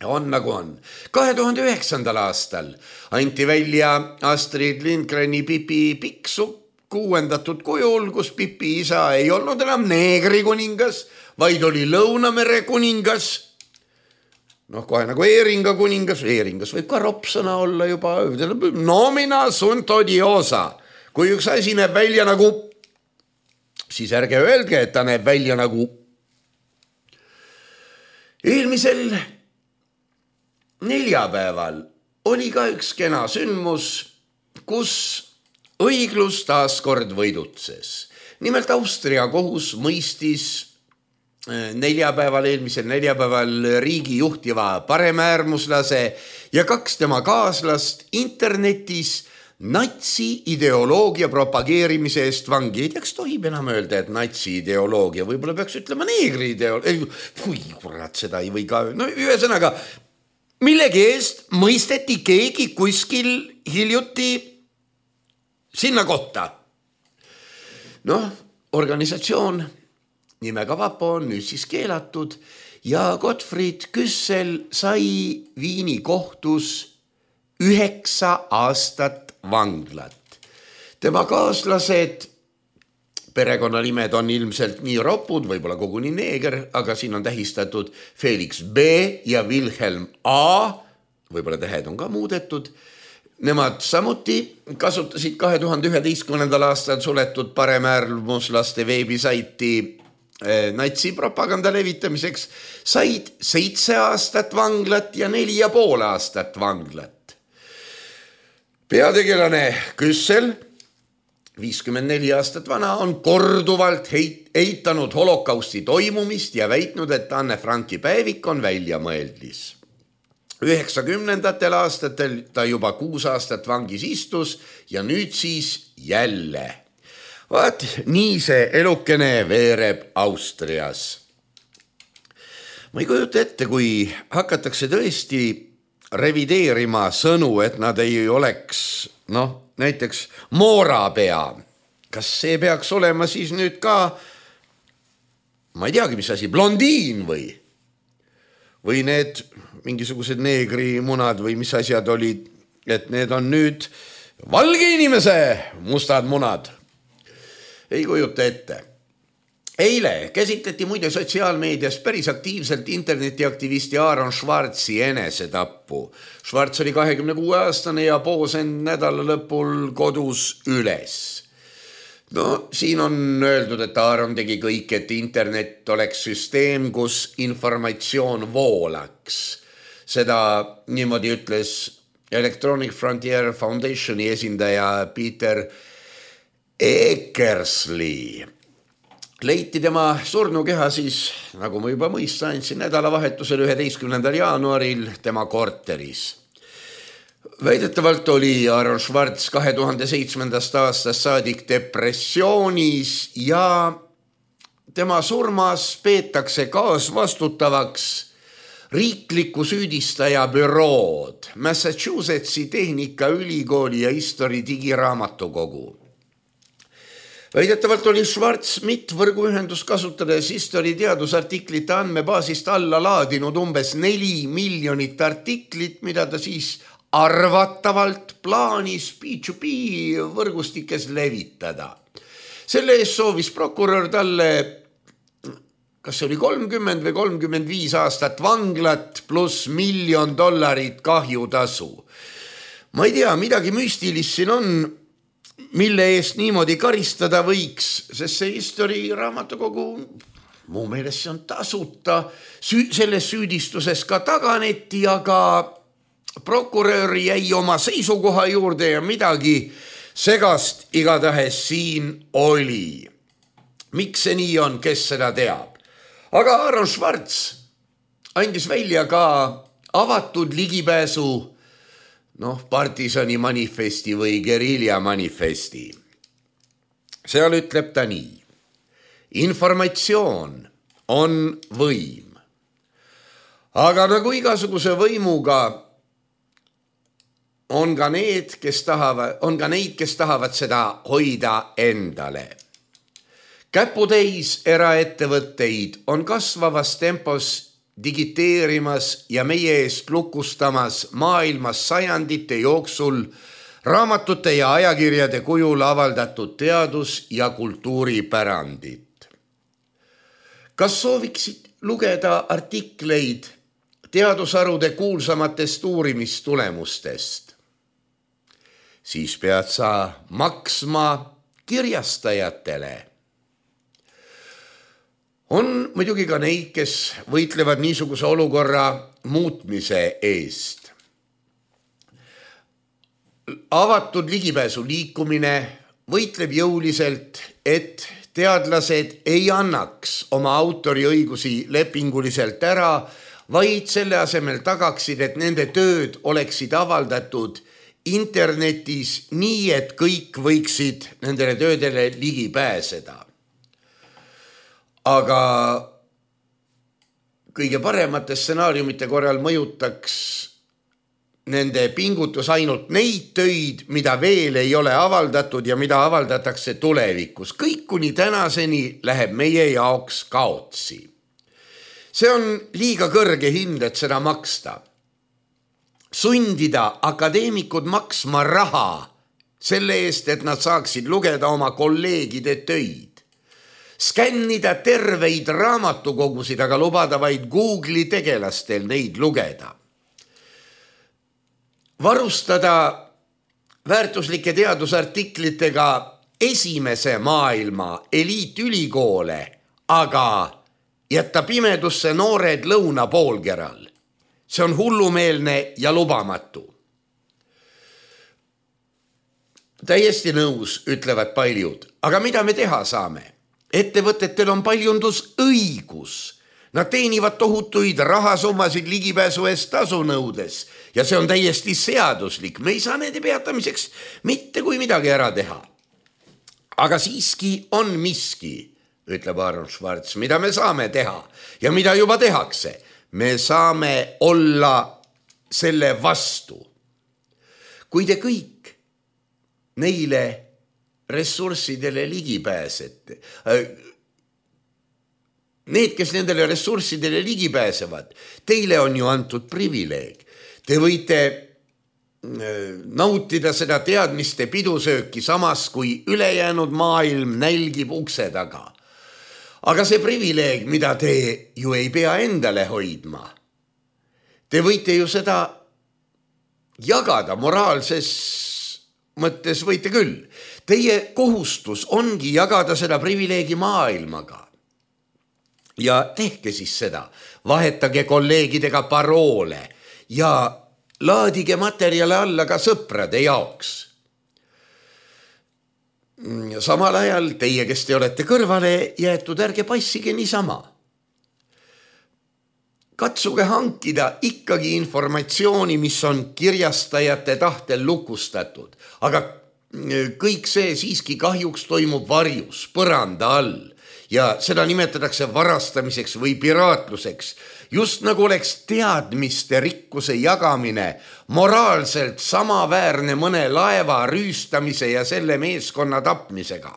On nagu on. kahe tuhande üheksandal aastal anti välja Astrid Lindgreni Pipi Pikksupp kuuendatud kujul, kus Pipi isa ei olnud enam neegri kuningas, vaid oli Lõunamere kuningas. Noh, kohe nagu Eeringa kuningas, Eeringas võib ka ropsõna olla juba, nomina sunt odiosa. Kui üks asi näeb välja nagu, siis ärge öelge, et ta näeb välja nagu. Eelmisel neljapäeval oli ka üks kena sündmus, kus õiglus taas kord võidutses. Nimelt Austria kohus mõistis neljapäeval, eelmisel neljapäeval riigi juhtiva paremäärmuslase ja kaks tema kaaslast internetis natsi ideoloogia propageerimise eest vangi. Ei teaks tohib enam öelda, et natsi ideoloogia, võib-olla peaks ütlema neegri ideoloogia. Kui kurat, seda ei või ka. No ühesõnaga, millegi eest mõisteti keegi kuskil hiljuti sinna kohta. Noh, organisatsioon nimega Vapo on nüüd siis keelatud ja Gottfried Küssel sai Viini kohtus üheksa aastat vanglat. Tema kaaslased, perekonnanimed on ilmselt nii ropud, võib-olla koguni neeger, aga siin on tähistatud Felix B ja Wilhelm A, võib-olla tähed on ka muudetud. Nemad samuti kasutasid kahe tuhande üheteistkümnendal aastal suletud paremäärmuslaste veebisaiti natsi propaganda levitamiseks, said seitse aastat vanglat ja neli ja pool aastat vanglat. Peategelane Küssel, viiskümmend neli aastat vana, on korduvalt eitanud holokausti toimumist ja väitnud, et Anne Franki päevik on väljamõeldis. üheksakümnendatel aastatel ta juba kuus aastat vangis istus ja nüüd siis jälle. Vaat, nii see elukene veereb Austrias. Ma ei kujuta ette, kui hakatakse tõesti revideerima sõnu, et nad ei oleks, noh, näiteks moorapea. Kas see peaks olema siis nüüd ka, ma ei teagi, mis asi, blondiin või? Või need mingisugused neegrimunad või mis asjad olid, et need on nüüd valge inimese mustad munad. Ei kujuta ette. Eile käsitleti muide sotsiaalmeedias päris aktiivselt internetiaktivisti Aaron Schwarzi enesetappu. Schwarz oli kahekümne kuue aastane ja poos end nädala lõpul kodus üles. No, siin on öeldud, et Aaron tegi kõik, et internet oleks süsteem, kus informatsioon voolaks. Seda niimoodi ütles Electronic Frontier Foundationi esindaja Peter Eckersley. Leiti tema surnukeha siis, nagu ma juba mõista andsin, nädalavahetusel üheteistkümnendal jaanuaril tema korteris. Väidetavalt oli Aaron Schwartz kahe tuhande seitsmendast aastast saadik depressioonis ja tema surmas peetakse kaasvastutavaks riikliku süüdistaja bürood, Massachusettsi Tehnikaülikooli ja History digiraamatukogu. Väidetavalt oli Schwartz mittvõrguühendust kasutades History teadusartiklite andmebaasist alla laadinud umbes neli miljonit artiklit, mida ta siis arvatavalt plaanis P two P võrgustikes levitada. Selle eest soovis prokurör talle, kas see oli kolmkümmend või kolmkümmend viis aastat vanglat pluss miljon dollarit kahjutasu. Ma ei tea, midagi müstilist siin on, mille eest niimoodi karistada võiks, sest see History raamatukogu, mu meelest see on tasuta, selles süüdistuses ka taganeti, aga prokurör jäi oma seisukoha juurde ja midagi segast igatahes siin oli. Miks see nii on, kes seda teab? Aga Aaron Schwartz andis välja ka avatud ligipääsu noh, partisani manifesti või gerilja manifesti. Seal ütleb ta nii. Informatsioon on võim. Aga nagu igasuguse võimuga on ka need, kes tahavad, on ka neid, kes tahavad seda hoida endale. Käputäis eraettevõtteid on kasvavas tempos digiteerimas ja meie eest lukustamas maailmas sajandite jooksul raamatute ja ajakirjade kujul avaldatud teadus- ja kultuuripärandit. Kas sooviksid lugeda artikleid teadusharude kuulsamatest uurimistulemustest? Siis pead sa maksma kirjastajatele. On muidugi ka neid, kes võitlevad niisuguse olukorra muutmise eest. Avatud ligipääsu liikumine võitleb jõuliselt, et teadlased ei annaks oma autoriõigusi lepinguliselt ära, vaid selle asemel tagaksid, et nende tööd oleksid avaldatud internetis nii, et kõik võiksid nendele töödele ligi pääseda. Aga kõige paremate stsenaariumite korral mõjutaks nende pingutus ainult neid töid, mida veel ei ole avaldatud ja mida avaldatakse tulevikus. Kõik kuni tänaseni läheb meie jaoks kaotsi. See on liiga kõrge hind, et seda maksta. Sundida akadeemikud maksma raha selle eest, et nad saaksid lugeda oma kolleegide töid. Skännida terveid raamatukogusid, aga lubada vaid Google'i tegelastel neid lugeda. Varustada väärtuslike teadusartiklitega esimese maailma eliitülikoole, aga jätta pimedusse noored lõunapoolkeral. See on hullumeelne ja lubamatu. Täiesti nõus, ütlevad paljud. Aga mida me teha saame? Ettevõtetel on paljundusõigus. Nad teenivad tohutuid rahasummasid ligipääsu eest tasu nõudes ja see on täiesti seaduslik. Me ei saa nende peatamiseks mitte kui midagi ära teha. Aga siiski on miski, ütleb Aaron Schwartz, mida me saame teha ja mida juba tehakse. Me saame olla selle vastu. Kui te kõik neile ressurssidele ligi pääsete. Need, kes nendele ressurssidele ligi pääsevad, teile on ju antud privileeg. Te võite nautida seda teadmiste pidusööki samas, kui ülejäänud maailm nälgib ukse taga. Aga see privileeg, mida te ju ei pea endale hoidma, te võite ju seda jagada moraalses mõttes võite küll. Teie kohustus ongi jagada seda privileegi maailmaga. Ja tehke siis seda. Vahetage kolleegidega paroole. ja laadige materjale alla ka sõprade jaoks. Samal ajal teie, kes te olete kõrvale jäetud, ärge passige niisama. Katsuge hankida ikkagi informatsiooni, mis on kirjastajate tahtel lukustatud, aga kõik see siiski kahjuks toimub varjus, põranda all ja seda nimetatakse varastamiseks või piraatluseks, just nagu oleks teadmiste rikkuse jagamine moraalselt samaväärne mõne laeva rüüstamise ja selle meeskonna tapmisega.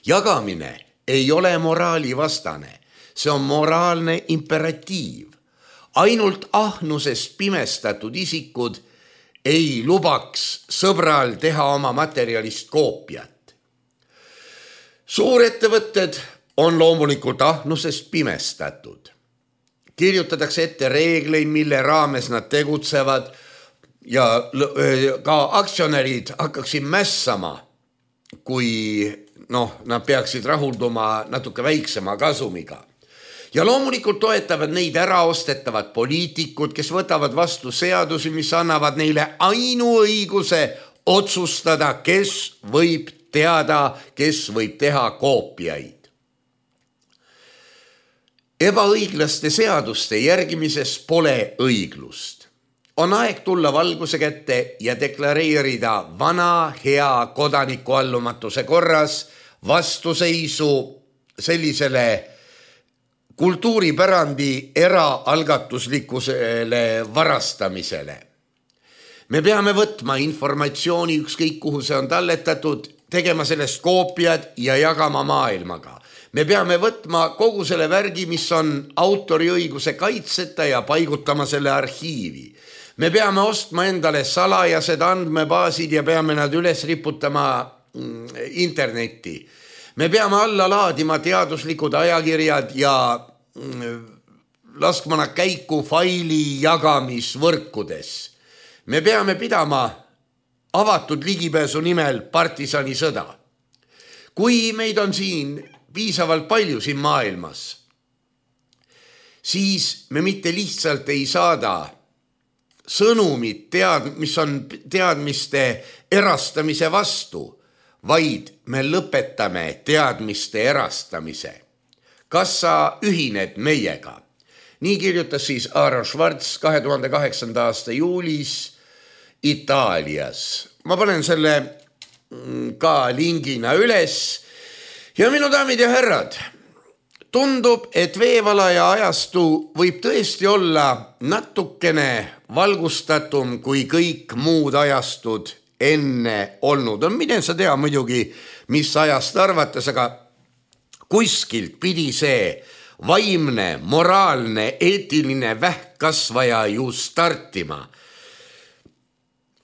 Jagamine ei ole moraali vastane. See on moraalne imperatiiv. Ainult ahnusest pimestatud isikud ei lubaks sõbral teha oma materjalist koopiat. Suurettevõtted on loomulikult ahnusest pimestatud. Kirjutatakse ette reegleid, mille raames nad tegutsevad ja ka aktsionärid hakkaksid mässama, kui noh, nad peaksid rahulduma natuke väiksema kasumiga. Ja loomulikult toetavad neid äraostetavad poliitikud, kes võtavad vastu seadusi, mis annavad neile ainuõiguse otsustada, kes võib teada, kes võib teha koopiaid. Ebaõiglaste seaduste järgimises pole õiglust. On aeg tulla valguse kätte ja deklareerida vana hea kodanikuallumatuse korras vastuseisu sellisele kultuuripärandi eraalgatuslikkusele varastamisele. Me peame võtma informatsiooni ükskõik kuhu see on talletatud, tegema sellest koopiad ja jagama maailmaga. Me peame võtma kogu selle värgi, mis on autoriõiguse kaitseta ja paigutama selle arhiivi. Me peame ostma endale salajased andmebaasid ja peame nad üles riputama internetti. Me peame alla laadima teaduslikud ajakirjad ja laskma nad käiku faili jagamisvõrkudes. Me peame pidama avatud ligipääsu nimel partisani sõda. Kui meid on siin piisavalt palju siin maailmas, siis me mitte lihtsalt ei saada sõnumit, tead, mis on teadmiste erastamise vastu, vaid me lõpetame teadmiste erastamise. Kas sa ühined meiega? Nii kirjutas siis Aaron Schwartz kahe tuhande kaheksanda aasta juulis Itaalias. Ma panen selle ka lingina üles. Ja minu daamid ja härrad, tundub, et veevalaja ajastu võib tõesti olla natukene valgustatum kui kõik muud ajastud enne olnud. On mine sa tea muidugi, mis ajast arvates, aga kuskilt pidi see vaimne, moraalne, eetiline vähkkasvaja ju startima.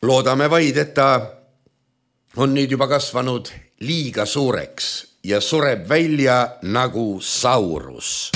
Loodame vaid, et ta on nüüd juba kasvanud liiga suureks ja sureb välja nagu saurus.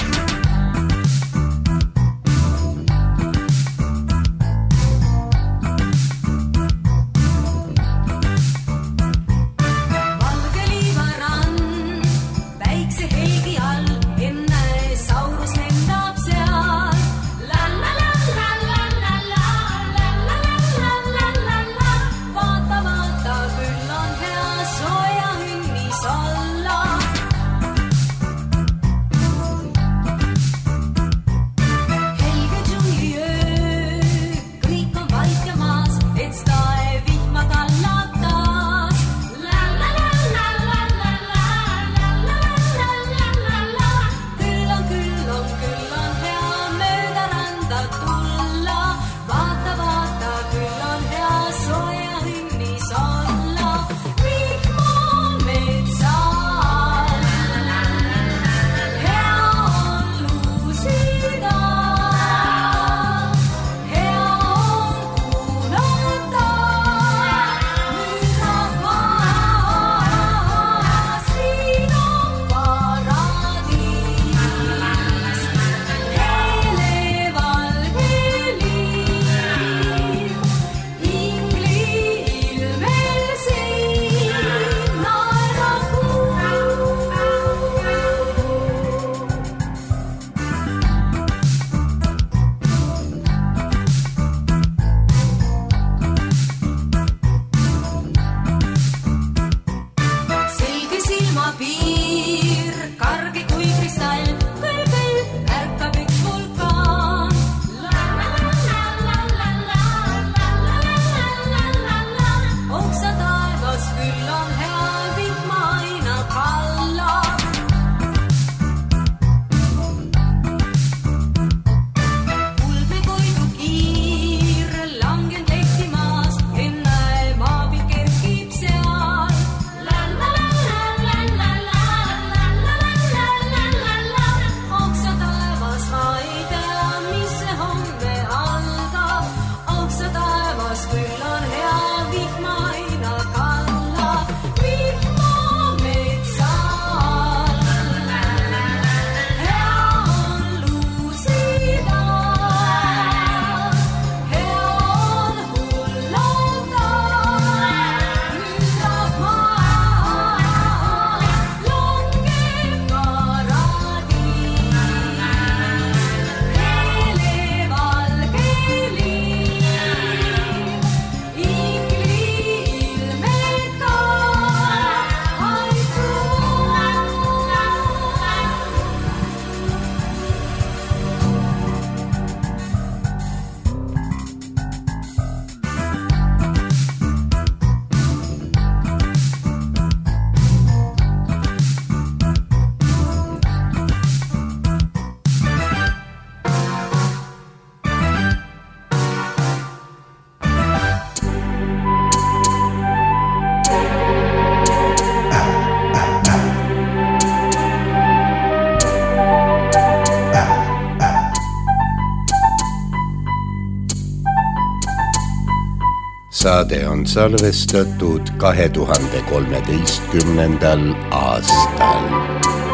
saade on salvestatud kahe tuhande kolmeteistkümnendal aastal.